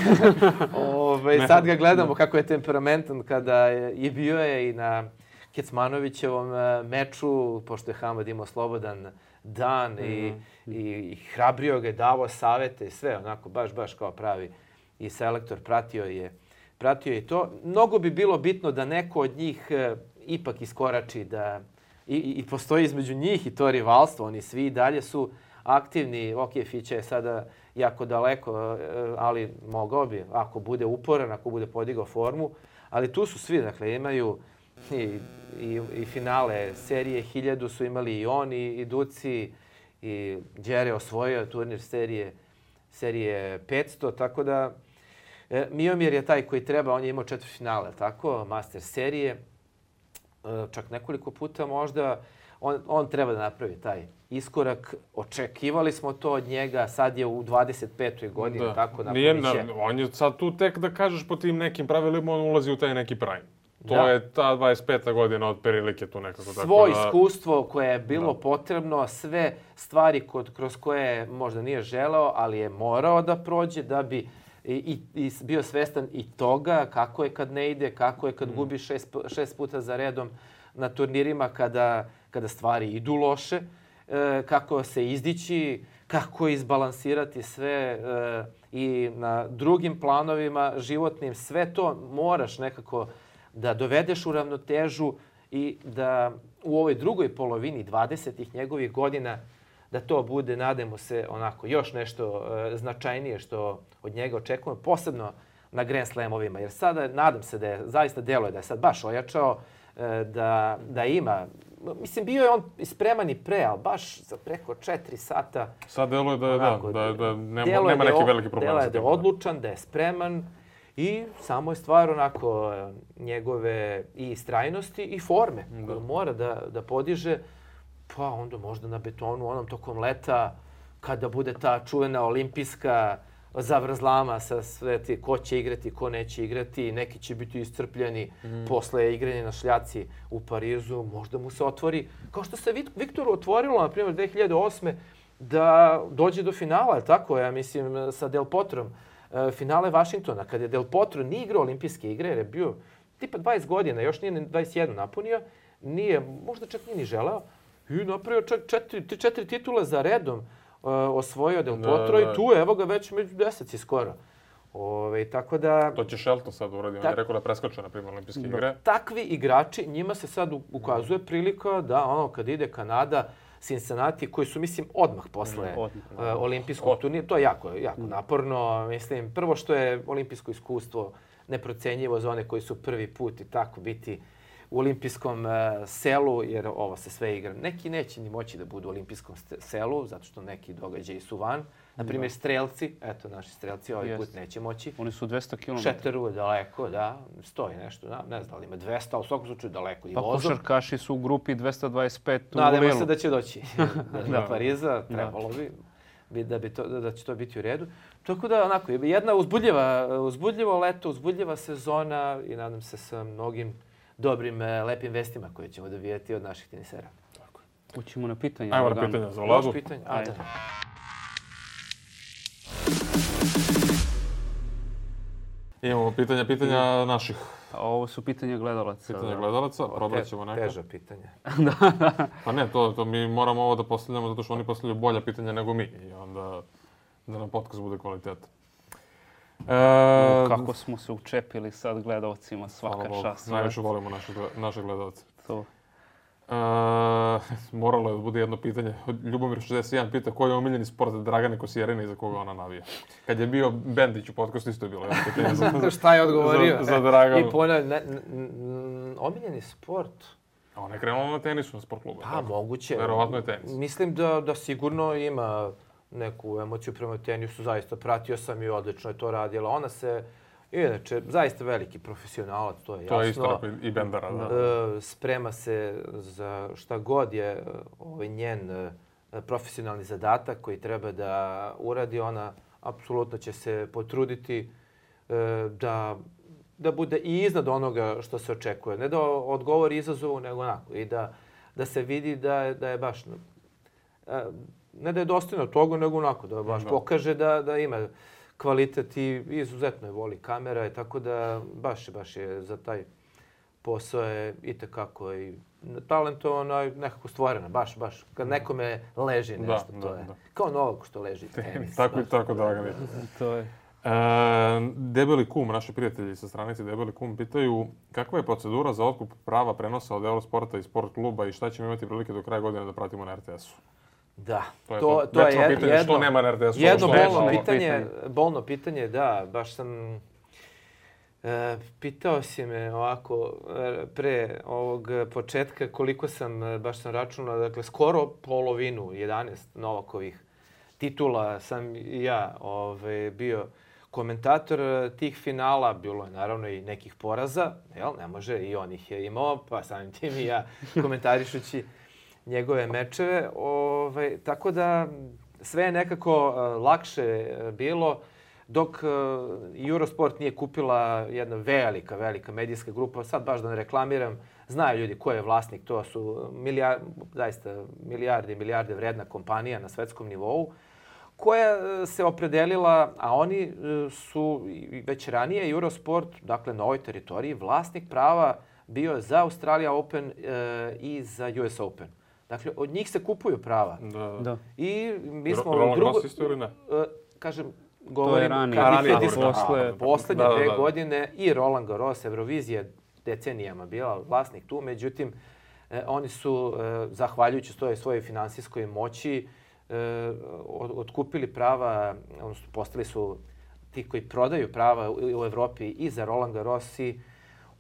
Ove, sad ga gledamo kako je temperamentan kada je, je bio je i na Kecmanovićevom meču, pošto je Hamad imao slobodan dan i, mm. i, i hrabrio ga je, davao savete i sve, onako baš, baš kao pravi i selektor, pratio je Pratio je to. Mnogo bi bilo bitno da neko od njih e, ipak iskorači, da i, i postoji između njih i to rivalstvo. Oni svi i dalje su aktivni. Ok, Fića je sada jako daleko, e, ali mogao bi, ako bude uporan, ako bude podigao formu. Ali tu su svi, dakle, imaju i, i, i finale serije hiljadu su imali i oni, i Duci, i Đere osvojio turnir serije, serije petsto, tako da E, Miomir je taj koji treba, on je imao četvrtfinale, tako, master serije, e, čak nekoliko puta možda, on, on treba da napravi taj iskorak. Očekivali smo to od njega, sad je u dvadeset petoj godini, da. tako, napravit će. On je sad tu tek da kažeš po tim nekim pravilima, on ulazi u taj neki prime. To da. je ta dvadeset peta godina od prilike tu nekako. Svoje tako da... iskustvo koje je bilo da. potrebno, sve stvari kod, kroz koje možda nije želeo, ali je morao da prođe da bi I, i, i bio svestan i toga kako je kad ne ide, kako je kad mm. gubi šest, šest puta za redom na turnirima kada, kada stvari idu loše, e, kako se izdići, kako izbalansirati sve e, i na drugim planovima životnim. Sve to moraš nekako da dovedeš u ravnotežu i da u ovoj drugoj polovini dvadesetih njegovih godina da to bude, nadamo se, onako još nešto e, značajnije što od njega očekujemo, posebno na Grand Slamovima. Jer sada, nadam se da je, zaista deluje da je sad baš ojačao, e, da, da ima, mislim, bio je on spreman i pre, ali baš za preko četiri sata. Sad deluje da je, onako, da, da, da nema, nema neki veliki problem. Deluje da je odlučan, da je spreman i samo je stvar onako njegove i istrajnosti i forme koju mora da, da podiže. Pa onda možda na betonu onom tokom leta, kada bude ta čuvena olimpijska zavrzlama sa sve ti ko će igrati, ko neće igrati, neki će biti iscrpljeni mm. posle igranja na šljaci u Parizu, možda mu se otvori, kao što se Viktoru otvorilo, na primjer, dve hiljade osme da dođe do finala, tako, ja mislim, sa Del Potrom, finale Vašingtona, kada je Del Potro nije igrao olimpijske igre, jer je bio tipa dvadeset godina, još nije dvadeset jedan napunio, nije, možda čak nije ni želeo, i napravio čak četiri, četiri titule za redom, uh, osvojio Del Potro da, da. i tu, evo ga već među deseci skoro. Ove, tako da... To će Shelton sad uraditi, on je rekao da preskoče, na primjer, olimpijske igre. Takvi igrači, njima se sad ukazuje prilika da ono kad ide Kanada, Cincinnati, koji su, mislim, odmah posle mm, odmah, uh, olimpijskog turnira, to je jako, jako mm. naporno. Mislim, prvo što je olimpijsko iskustvo neprocenjivo za one koji su prvi put i tako biti u olimpijskom uh, selu, jer ovo se sve igra. Neki neće ni moći da budu u olimpijskom selu, zato što neki događaji su van. Na primjer, strelci, eto, naši strelci ovaj Jest. put neće moći. Oni su dvesta kilometara. Šeteru je daleko, da, stoji nešto, da, ne znam da li ima dvesta, ali u svakom slučaju daleko i Pa vozom. košarkaši su u grupi dvesta dvadeset pet u Nadamo Lilu. se da će doći do Pariza, trebalo bi, bi, da, bi to, da će to biti u redu. Tako da, onako, jedna uzbudljiva, uzbudljivo leto, uzbudljiva sezona i nadam se sa mnogim dobrim, lepim vestima koje ćemo dobijati od naših tenisera. Tako. Ućemo na pitanje. Ajmo na Dragan. pitanja za Vladu. Još pitanje? Ajde. Ajde. Imamo pitanja, pitanja naših. A ovo su pitanja gledalaca. Pitanja da. gledalaca, probrat ćemo neka. Teža pitanja. Pa ne, to, to mi moramo ovo da postavljamo zato što oni postavljaju bolja pitanja nego mi. I onda da nam podcast bude kvalitetan. E, Kako smo se učepili sad gledalcima, svaka hvala Bogu, čast. najviše volimo naše, gle- naše gledalce. To. E, moralo je da bude jedno pitanje. Ljubomir šezdeset jedan pita koji je omiljeni sport Dragane Kosjerine i za koga ona navija. Kad je bio Bendić u podcastu isto je bilo jedno pitanje za, Šta je odgovorio? za, za Draganu. I ponavljam, ne, n- n- omiljeni sport? A ona je krenula na tenisu na sport klubu. Pa, moguće. Verovatno je tenis. Mislim da, da sigurno ima neku emociju prema tenisu. Zaista pratio sam i odlično je to radila. Ona se, inače, zaista veliki profesionalac, to je jasno. To je isto rekao i Bendara, da. E, sprema se za šta god je e, ovaj njen e, profesionalni zadatak koji treba da uradi. Ona apsolutno će se potruditi e, da da bude i iznad onoga što se očekuje. Ne da odgovori izazovu, nego onako. I da, da se vidi da je, da je baš... e, ne da je dostojno toga, nego onako. Da baš Da. pokaže da, da ima kvalitet i izuzetno je voli kamera. I tako da baš, baš je za taj posao je itekako i talentovana i nekako stvorena. Baš, baš. Kad nekome leži Da, nešto, da, to je. da. Kao Novak što leži tenis. Tako i tako, Dragane. To je. E, Debeli kum, naši prijatelji sa stranice Debeli kum, pitaju kakva je procedura za otkup prava prenosa od Eurosporta i Sport kluba i šta ćemo imati prilike do kraja godine da pratimo na er te esu? Da, To je to, to. to je Večno jed- pitanje, jedno, što nema na er te esu, jedno što bolno nema. pitanje, bolno pitanje, da, baš sam e, pitao si me ovako e, pre ovog početka koliko sam, e, baš sam računao, dakle skoro polovinu, jedanaest Novakovih titula sam i ja ovaj, bio komentator e, tih finala, bilo je naravno i nekih poraza, jel, ne može, i on ih je imao, pa samim tim i ja komentarišući njegove mečeve. Ovaj, tako da sve je nekako uh, lakše uh, bilo dok uh, Eurosport nije kupila jedna velika, velika medijska grupa. Sad baš da ne reklamiram, znaju ljudi ko je vlasnik, to su milijar, zaista milijarde i milijarde vredna kompanija na svetskom nivou koja uh, se opredelila, a oni uh, su i već ranije Eurosport, dakle na ovoj teritoriji, vlasnik prava bio za Australia Open uh, i za U S Open. Dakle, od njih se kupuju prava. Da. Da. I mi smo... Roland drugo, Garros isto ili ne? e, kažem, govorim... ranije. kad Ranije, dvije hiljadite posle- a, Poslednje Da, da, dve da. godine i Roland Garros, Eurovizija decenijama bila vlasnik tu. Međutim, e, oni su, e, zahvaljujući svojoj, svojoj finansijskoj moći, e, od, otkupili prava, odnosno postali su ti koji prodaju prava u, u Evropi i za Roland Garros i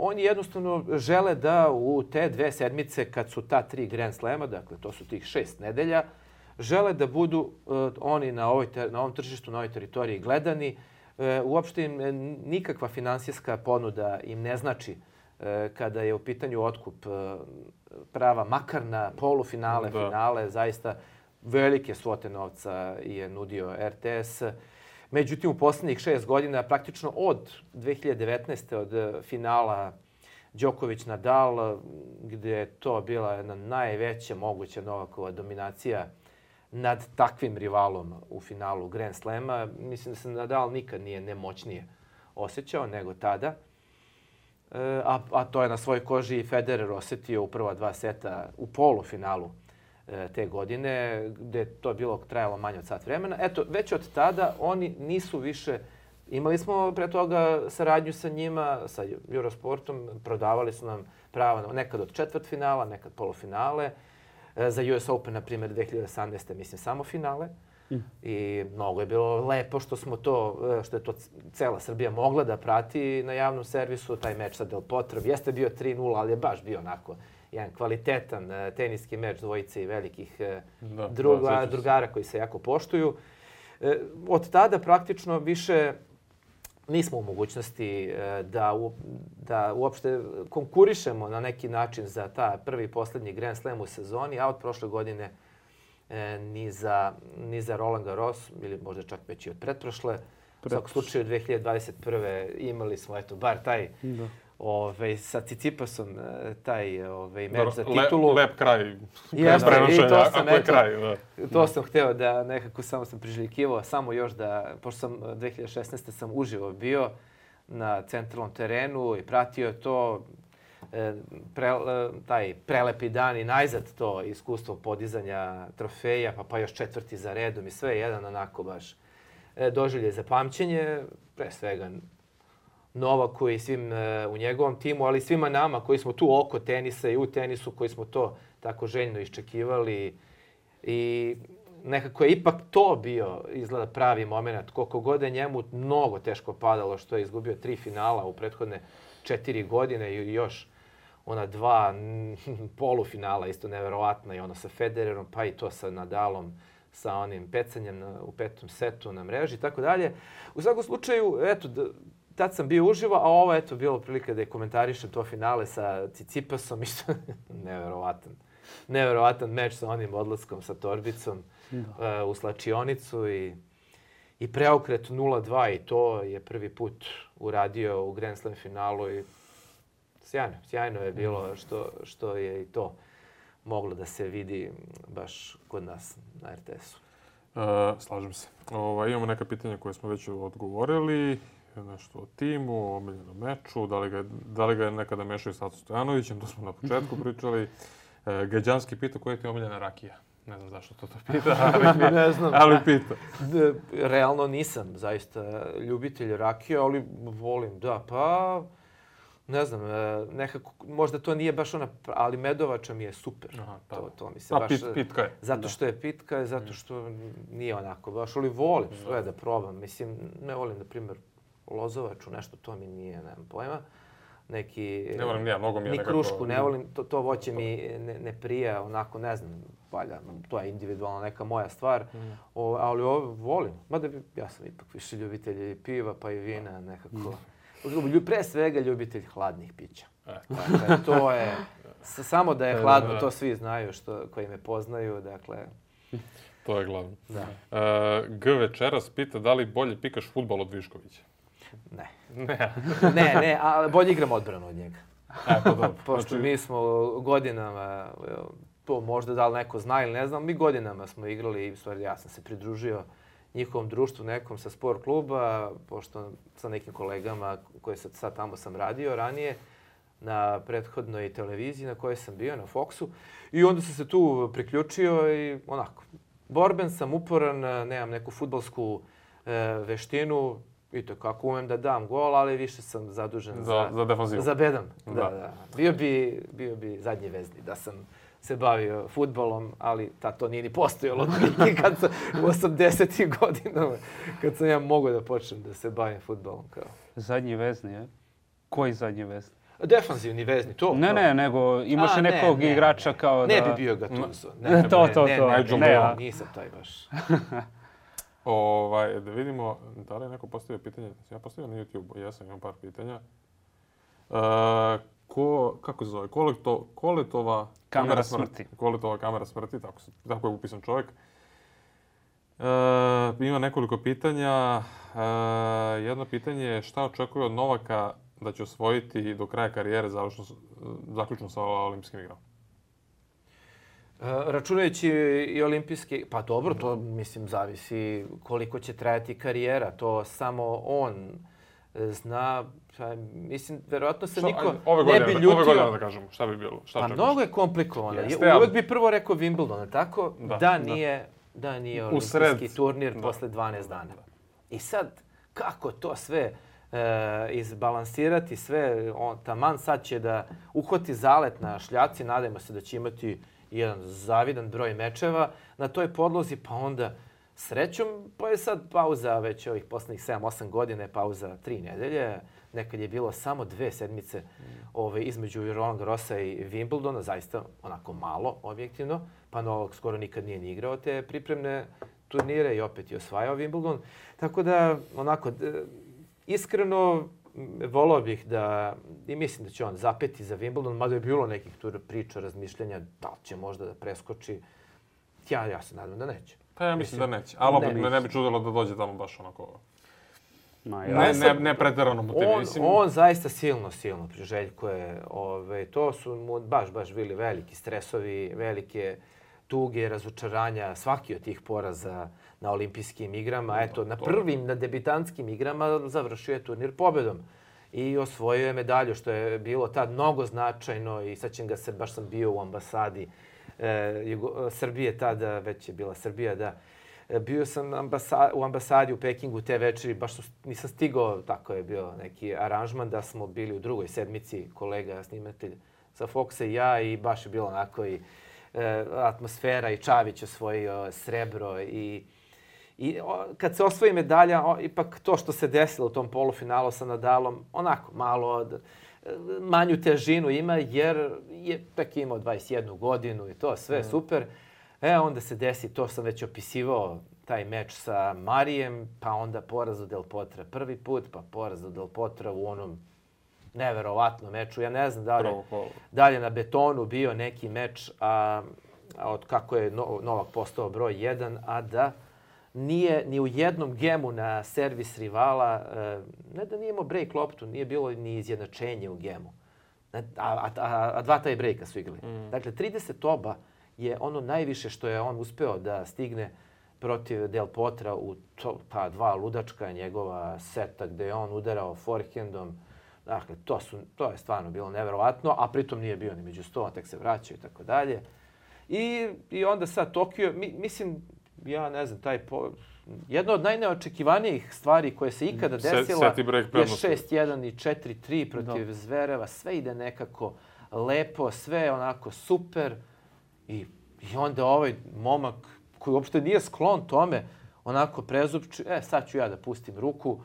oni jednostavno žele da u te dve sedmice, kad su ta tri Grand Slema, dakle to su tih šest nedelja, žele da budu uh, oni na, ovoj ter, na ovom tržištu, na ovoj teritoriji gledani. Uh, uopšte im e, nikakva finansijska ponuda im ne znači uh, kada je u pitanju otkup uh, prava, makar na polufinale, Da. finale, zaista velike svote novca je nudio er te es. Međutim, u posljednjih šest godina, praktično od dve hiljade devetnaeste. od finala Đoković-Nadal, gdje je to bila jedna najveća moguća Novakova dominacija nad takvim rivalom u finalu Grand Slema. Mislim da se Nadal nikad nije nemoćnije osjećao nego tada. E, a, a to je na svojoj koži i Federer osjetio u prva dva seta u polufinalu te godine, gdje je to bilo trajalo manje od sat vremena. Eto, već od tada oni nisu više... Imali smo pre toga saradnju sa njima, sa Eurosportom, prodavali su nam prava nekad od četvrt finala, nekad polufinale. Za U S Open, na primjer, dve hiljade osamnaeste. mislim, samo finale. Mm. I mnogo je bilo lepo što smo to, što je to cela Srbija mogla da prati na javnom servisu. Taj meč sa Del Potro jeste bio tri nula, ali je baš bio onako jedan kvalitetan uh, teniski meč dvojice i velikih uh, Da, druga, da, drugara koji se jako poštuju. E, od tada praktično više nismo u mogućnosti e, da, u, da uopšte konkurišemo na neki način za ta prvi i posljednji Grand Slam u sezoni, a od prošle godine e, ni, za, ni za Roland Garros, ili možda čak već i od pretprošle. U svakom slučaju dve hiljade dvadeset prve imali smo eto bar taj da. Ove, sa Cicipasom taj ove, meč za titulu. Lep, lep kraj. Jeste, i to sam, eto, kraj, da. To sam hteo da nekako samo sam priželjkivao, samo još da, pošto sam dve hiljade šesnaeste sam uživo bio na centralnom terenu i pratio to, pre, taj prelepi dan i najzad to iskustvo podizanja trofeja, pa, pa još četvrti za redom i sve jedan onako baš doživlje za pamćenje, pre svega Novaku i svim e, u njegovom timu, ali svima nama koji smo tu oko tenisa i u tenisu, koji smo to tako željno iščekivali. I nekako je ipak to bio izgleda pravi moment. Koliko god je njemu mnogo teško padalo što je izgubio tri finala u prethodne četiri godine i još ona dva polufinala, isto neverovatna, i ono sa Federerom, pa i to sa Nadalom, sa onim pecanjem na, u petom setu na mreži i tako dalje. U svakom slučaju, eto, da, tad sam bio uživo, a ovo eto bilo prilike da je komentarišem to finale sa Cicipasom, isto neverovatan. Neverovatan meč sa onim odlaskom sa torbicom uh, u slačionicu i, i preokret nula dva i to je prvi put uradio u Grand Slam finalu i sjajno, sjajno je bilo što, što je i to moglo da se vidi baš kod nas na er te esu. E, slažem se. Ovo, imamo neka pitanja koje smo već odgovorili. Nešto o timu, o omiljenom meču, da li ga, da li ga nekada mešaju s Acom Stojanovićem, to smo na početku pričali. E, Gađanski pita koja je ti omiljena rakija. Ne znam zašto to to pita, ali, ne znam. ali pita. Realno nisam zaista ljubitelj rakije, ali volim, da, pa ne znam, nekako, možda to nije baš ona, ali medovača mi je super. Aha, to, to mi se A, baš... pit, pitka je. Zato što je pitka, zato što nije onako baš, ali volim sve da probam. Mislim, ne volim, na primjer, lozovaču, nešto, to mi nije, nemam pojma. Neki... Ne volim, ja, mnogo mi je ni nekako... krušku, ne volim, to, to voće mi ne, ne prija, onako, ne znam, valja, to je individualno neka moja stvar, mm. o, ali ovo volim. Mada ja sam ipak više ljubitelj piva, pa i vina, nekako. Mm. Pre svega ljubitelj hladnih pića. E. Dakle, to je, samo da je hladno, to svi znaju što, koji me poznaju, dakle... To je glavno. Da. Uh, G večeras pita da li bolje pikaš fudbal od Viškovića. Ne. Ne. ne, ne, a bolje igram odbranu od njega. E, pa dobro. Pošto znači... mi smo godinama, to možda da li neko zna ili ne znam, mi godinama smo igrali i u stvari ja sam se pridružio njihovom društvu nekom sa sport kluba, pošto sa nekim kolegama koji sad, sad tamo sam radio ranije, na prethodnoj televiziji na kojoj sam bio, na Foxu. I onda sam se tu priključio i onako, borben sam, uporan, nemam neku fudbalsku e, veštinu, i to kako umem da dam gol, ali više sam zadužen za, za, za defanzivu. Za bedam. Da. Da, da. Bio bi, bio bi zadnji vezni da sam se bavio fudbalom, ali ta to nije ni postojalo kad sam u osamdesetim godinama, kad sam ja mogao da počnem da se bavim fudbalom. Kao. Zadnji vezni, je? Koji zadnji vezni? Defanzivni vezni, to. Ne, to. ne, nego imaš A, nekog ne, ne, igrača ne. kao da... Ne bi bio Gattuso. Ne, ne, to, to, ne, to. Ne, ne, ne, ne, ne, nisam taj baš. Ovaj, da vidimo, da li je neko postavio pitanje? Ja postavio na YouTube, ja sam imam par pitanja. Uh, ko, kako se zove? Koleto, Koletova kamera smrti. Koletova kamera smrti, tako, tako je upisan čovjek. Uh, ima nekoliko pitanja. Uh, jedno pitanje je šta očekuje od Novaka da će osvojiti do kraja karijere završno, zaključno sa olimpijskim igrama? Računajući i olimpijski, pa dobro, to mislim zavisi koliko će trajati karijera. To samo on zna. Pa, mislim, verovatno se niko ove ne bi ljutio. Ove godine da kažemo, šta bi bilo? Šta pa čekaš? mnogo je komplikovano. Jeste, Uvijek bi prvo rekao Wimbledon, tako? Da, da nije, da. da nije olimpijski Usred, turnir da. posle dvanaest dana. I sad, kako to sve e, izbalansirati, sve, on, taman sad će da uhvati zalet na šljaci, nadajmo se da će imati jedan zavidan broj mečeva na toj podlozi, pa onda srećom, pa je sad pauza već ovih poslednjih sedam osam godina, je pauza tri nedelje. Nekad je bilo samo dve sedmice mm. ove, između Roland Garrosa i Wimbledona, zaista onako malo, objektivno. Pa Novak skoro nikad nije ni igrao te pripremne turnire i opet je osvajao Wimbledon. Tako da, onako, iskreno volao bih da, i mislim da će on zapeti za Wimbledon, mada je bilo nekih tu priča, razmišljanja, da li će možda da preskoči. Ja, ja se nadam da neće. Pa ja mislim, mislim da neće. Ali opet me ne bi čudilo da dođe tamo baš onako... Ma, ja. Ne, ne, ne pretjerano motiviran. On, mislim... on zaista silno, silno priželjkuje. Ove, to su mu baš, baš bili veliki stresovi, velike tuge, razočaranja, svaki od tih poraza na olimpijskim igrama. Eto, na prvim, na debitantskim igrama završio je turnir pobedom i osvojio je medalju, što je bilo tad mnogo značajno i sad ćem ga se, baš sam bio u ambasadi e, Jugo, Srbije, tada već je bila Srbija, da. Bio sam ambasa, u ambasadi u Pekingu te večeri, baš su, nisam stigao, tako je bio neki aranžman, da smo bili u drugoj sedmici, kolega, snimatelj sa Foxa i ja, i baš je bilo onako i e, atmosfera i Čavić osvojio srebro i I o, kad se osvoji medalja, o, ipak to što se desilo u tom polufinalu sa Nadalom, onako malo od, manju težinu ima, jer je tek imao dvadeset jednu godinu i to sve mm. super. E, onda se desi, to sam već opisivao, taj meč sa Marijem, pa onda poraz od Del Potra prvi put, pa poraz od Del Potra u onom neverovatnom meču. Ja ne znam da li je dalje na betonu bio neki meč, a, a od kako je Novak postao broj jedan, a da nije ni u jednom gemu na servis rivala, ne da nije imao break loptu, nije bilo ni izjednačenje u gemu. A, a, a, a dva taj breaka su igrali. Mm. Dakle, trideset oba je ono najviše što je on uspeo da stigne protiv Del Potra u to, pa dva ludačka njegova seta gde je on udarao forehandom. Dakle, to, su, to je stvarno bilo neverovatno, a pritom nije bio ni među sto, tek se vraćaju i tako dalje. I, I onda sad Tokio, mi, mislim, ja ne znam, taj po... jedno od najneočekivanijih stvari koje se ikada desila je šest jedan i četiri tri protiv da. Zvereva. Sve ide nekako lepo, sve onako super. I, i onda ovaj momak koji uopšte nije sklon tome, onako prezupči, e sad ću ja da pustim ruku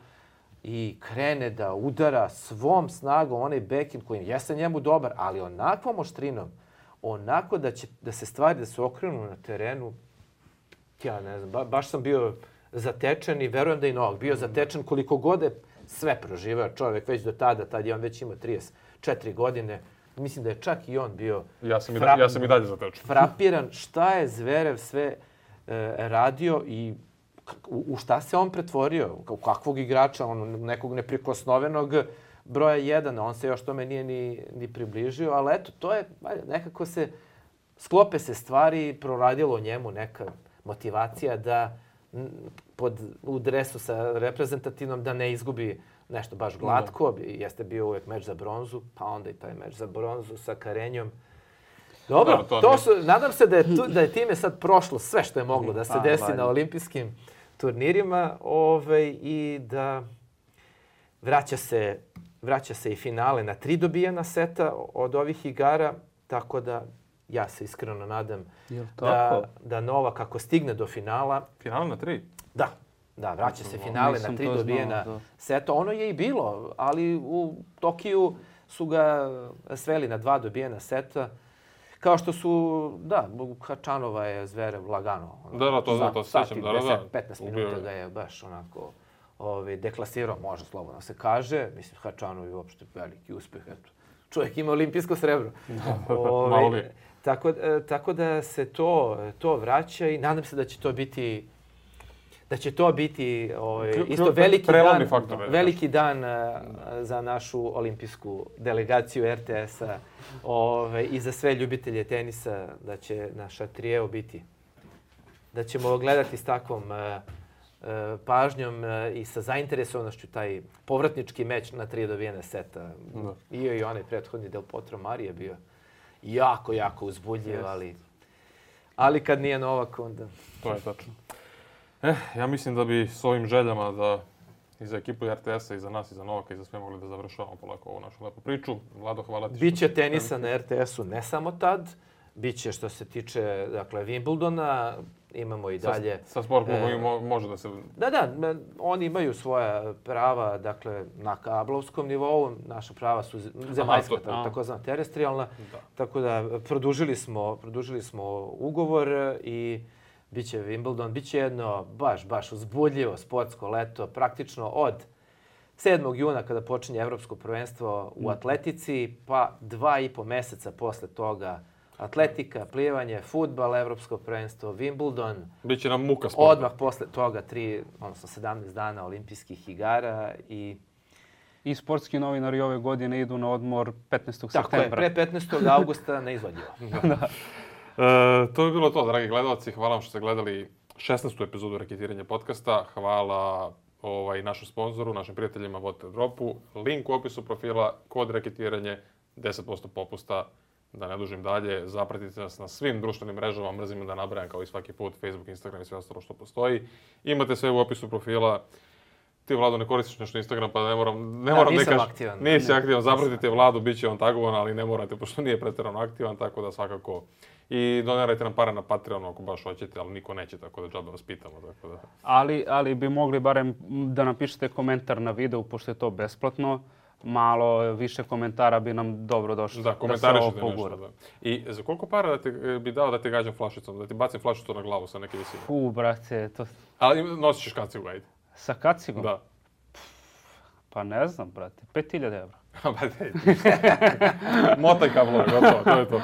i krene da udara svom snagom onaj backhand koji jeste njemu dobar, ali onakvom oštrinom, onako da će da se stvari da se okrenu na terenu. Ja ne znam, ba, baš sam bio zatečen i verujem da i Novak bio zatečen koliko god je sve proživao čovjek već do tada, tad je on već imao trideset četiri godine. Mislim da je čak i on bio ja sam, fra... i, da, ja sam i dalje zatečen. Frapiran šta je Zverev sve e, radio i u, u šta se on pretvorio, u kakvog igrača, on, nekog neprikosnovenog broja jedan, on se još tome nije ni, ni približio, ali eto, to je, nekako se, sklope se stvari, proradilo njemu neka motivacija da pod, u dresu sa reprezentativnom da ne izgubi nešto baš glatko. Da. Jeste bio uvijek meč za bronzu, pa onda i taj meč za bronzu sa Karenjom. Dobro, da, to, to su, nadam se da je, tu, da je time sad prošlo sve što je moglo da se desi pa, na olimpijskim turnirima ovaj, i da vraća se, vraća se i finale na tri dobijena seta od ovih igara, tako da ja se iskreno nadam da, da Novak ako stigne do finala... Finale na tri? Da, da, vraća se finale na tri dobijena znao, seta. Ono je i bilo, ali u Tokiju su ga sveli na dva dobijena seta. Kao što su, da, Hačanova je Zverev lagano. Da, da, to, da, to se sjećam. Da, da, petnaest minuta ga je baš onako ovaj, deklasirao, može slobodno se kaže. Mislim, Hačanov je uopšte veliki uspjeh. Eto, čovjek ima olimpijsko srebro. Ove, Malo li? Tako, tako da se to, to vraća i nadam se da će to biti da će to biti ovaj, isto veliki dan, faktor, veliki dan uh, za našu olimpijsku delegaciju R T S-a ovaj, i za sve ljubitelje tenisa, da će naša trijeo biti. Da ćemo gledati s takvom uh, uh, pažnjom uh, i sa zainteresovanošću taj povratnički meč na tri dobijene seta. Da. I, i onaj prethodni Del Potro Marije bio jako, jako uzbudljiv, yes. ali, ali kad nije Novak, onda... To je tačno. Eh, ja mislim da bi s ovim željama da i za ekipu R T S-a, i za nas, i za Novaka, i za sve mogli da završavamo polako ovu našu lepu priču. Vlado, hvala ti. Biće tenisa na R T S-u ne samo tad, biće što se tiče dakle, Wimbledona, imamo i dalje... Sa, sa sport klubom e, može da se... Da, da, oni imaju svoja prava dakle, na kablovskom nivou, naša prava su zemaljska, Aha, to, takozvana terestrijalna, da. Tako da produžili smo, produžili smo ugovor i biće Wimbledon, biće jedno baš, baš uzbudljivo sportsko leto, praktično od sedmog juna kada počinje Evropsko prvenstvo u atletici, pa dva i po meseca posle toga atletika, plivanje, fudbal, Evropsko prvenstvo, Wimbledon. Biće nam muka sporta. Odmah posle toga tri, odnosno sedamnaest dana olimpijskih igara i... I sportski novinari ove godine idu na odmor petnaestog Tako septembra. je, pre petnaestog augusta neizvodljivo. Da. E, to bi bilo to, dragi gledalci. Hvala vam što ste gledali šesnaestu epizodu Reketiranja podcasta. Hvala ovaj, našem sponzoru, našim prijateljima Water Dropu. Link u opisu profila, kod Reketiranje, deset posto popusta. Da ne dužim dalje, zapratite nas na svim društvenim mrežama, mrzim da nabrajam kao i svaki put, Facebook, Instagram i sve ostalo što postoji. Imate sve u opisu profila. Ti, Vlado, ne koristiš nešto Instagram, pa ne moram, ne Da, moram nisam da kažem. aktivan. Nisi Ne, aktivan, nisam. zapratite Vladu, bit će on tagovan, ali ne morate, pošto nije pretjerano aktivan, tako da svakako. I donirajte nam pare na Patreonu ako baš hoćete, ali niko neće, tako da džabe vas pitamo. Tako da. Ali, ali bi mogli barem da napišete komentar na videu, pošto je to besplatno. Malo više komentara bi nam dobro došlo. Da, da se komentarišite ovo nešto. pogura. Da. I za koliko para da te, bi dao da te gađam flašicom, da ti bacim flašicu na glavu sa neke visine? Fu, brate, to Ali nosiš kacigu, ajde. sa kacigom? Da. Pa ne znam, brate, pet hiljada evra. Ba dej. Motaj kablove, gotovo, to je to.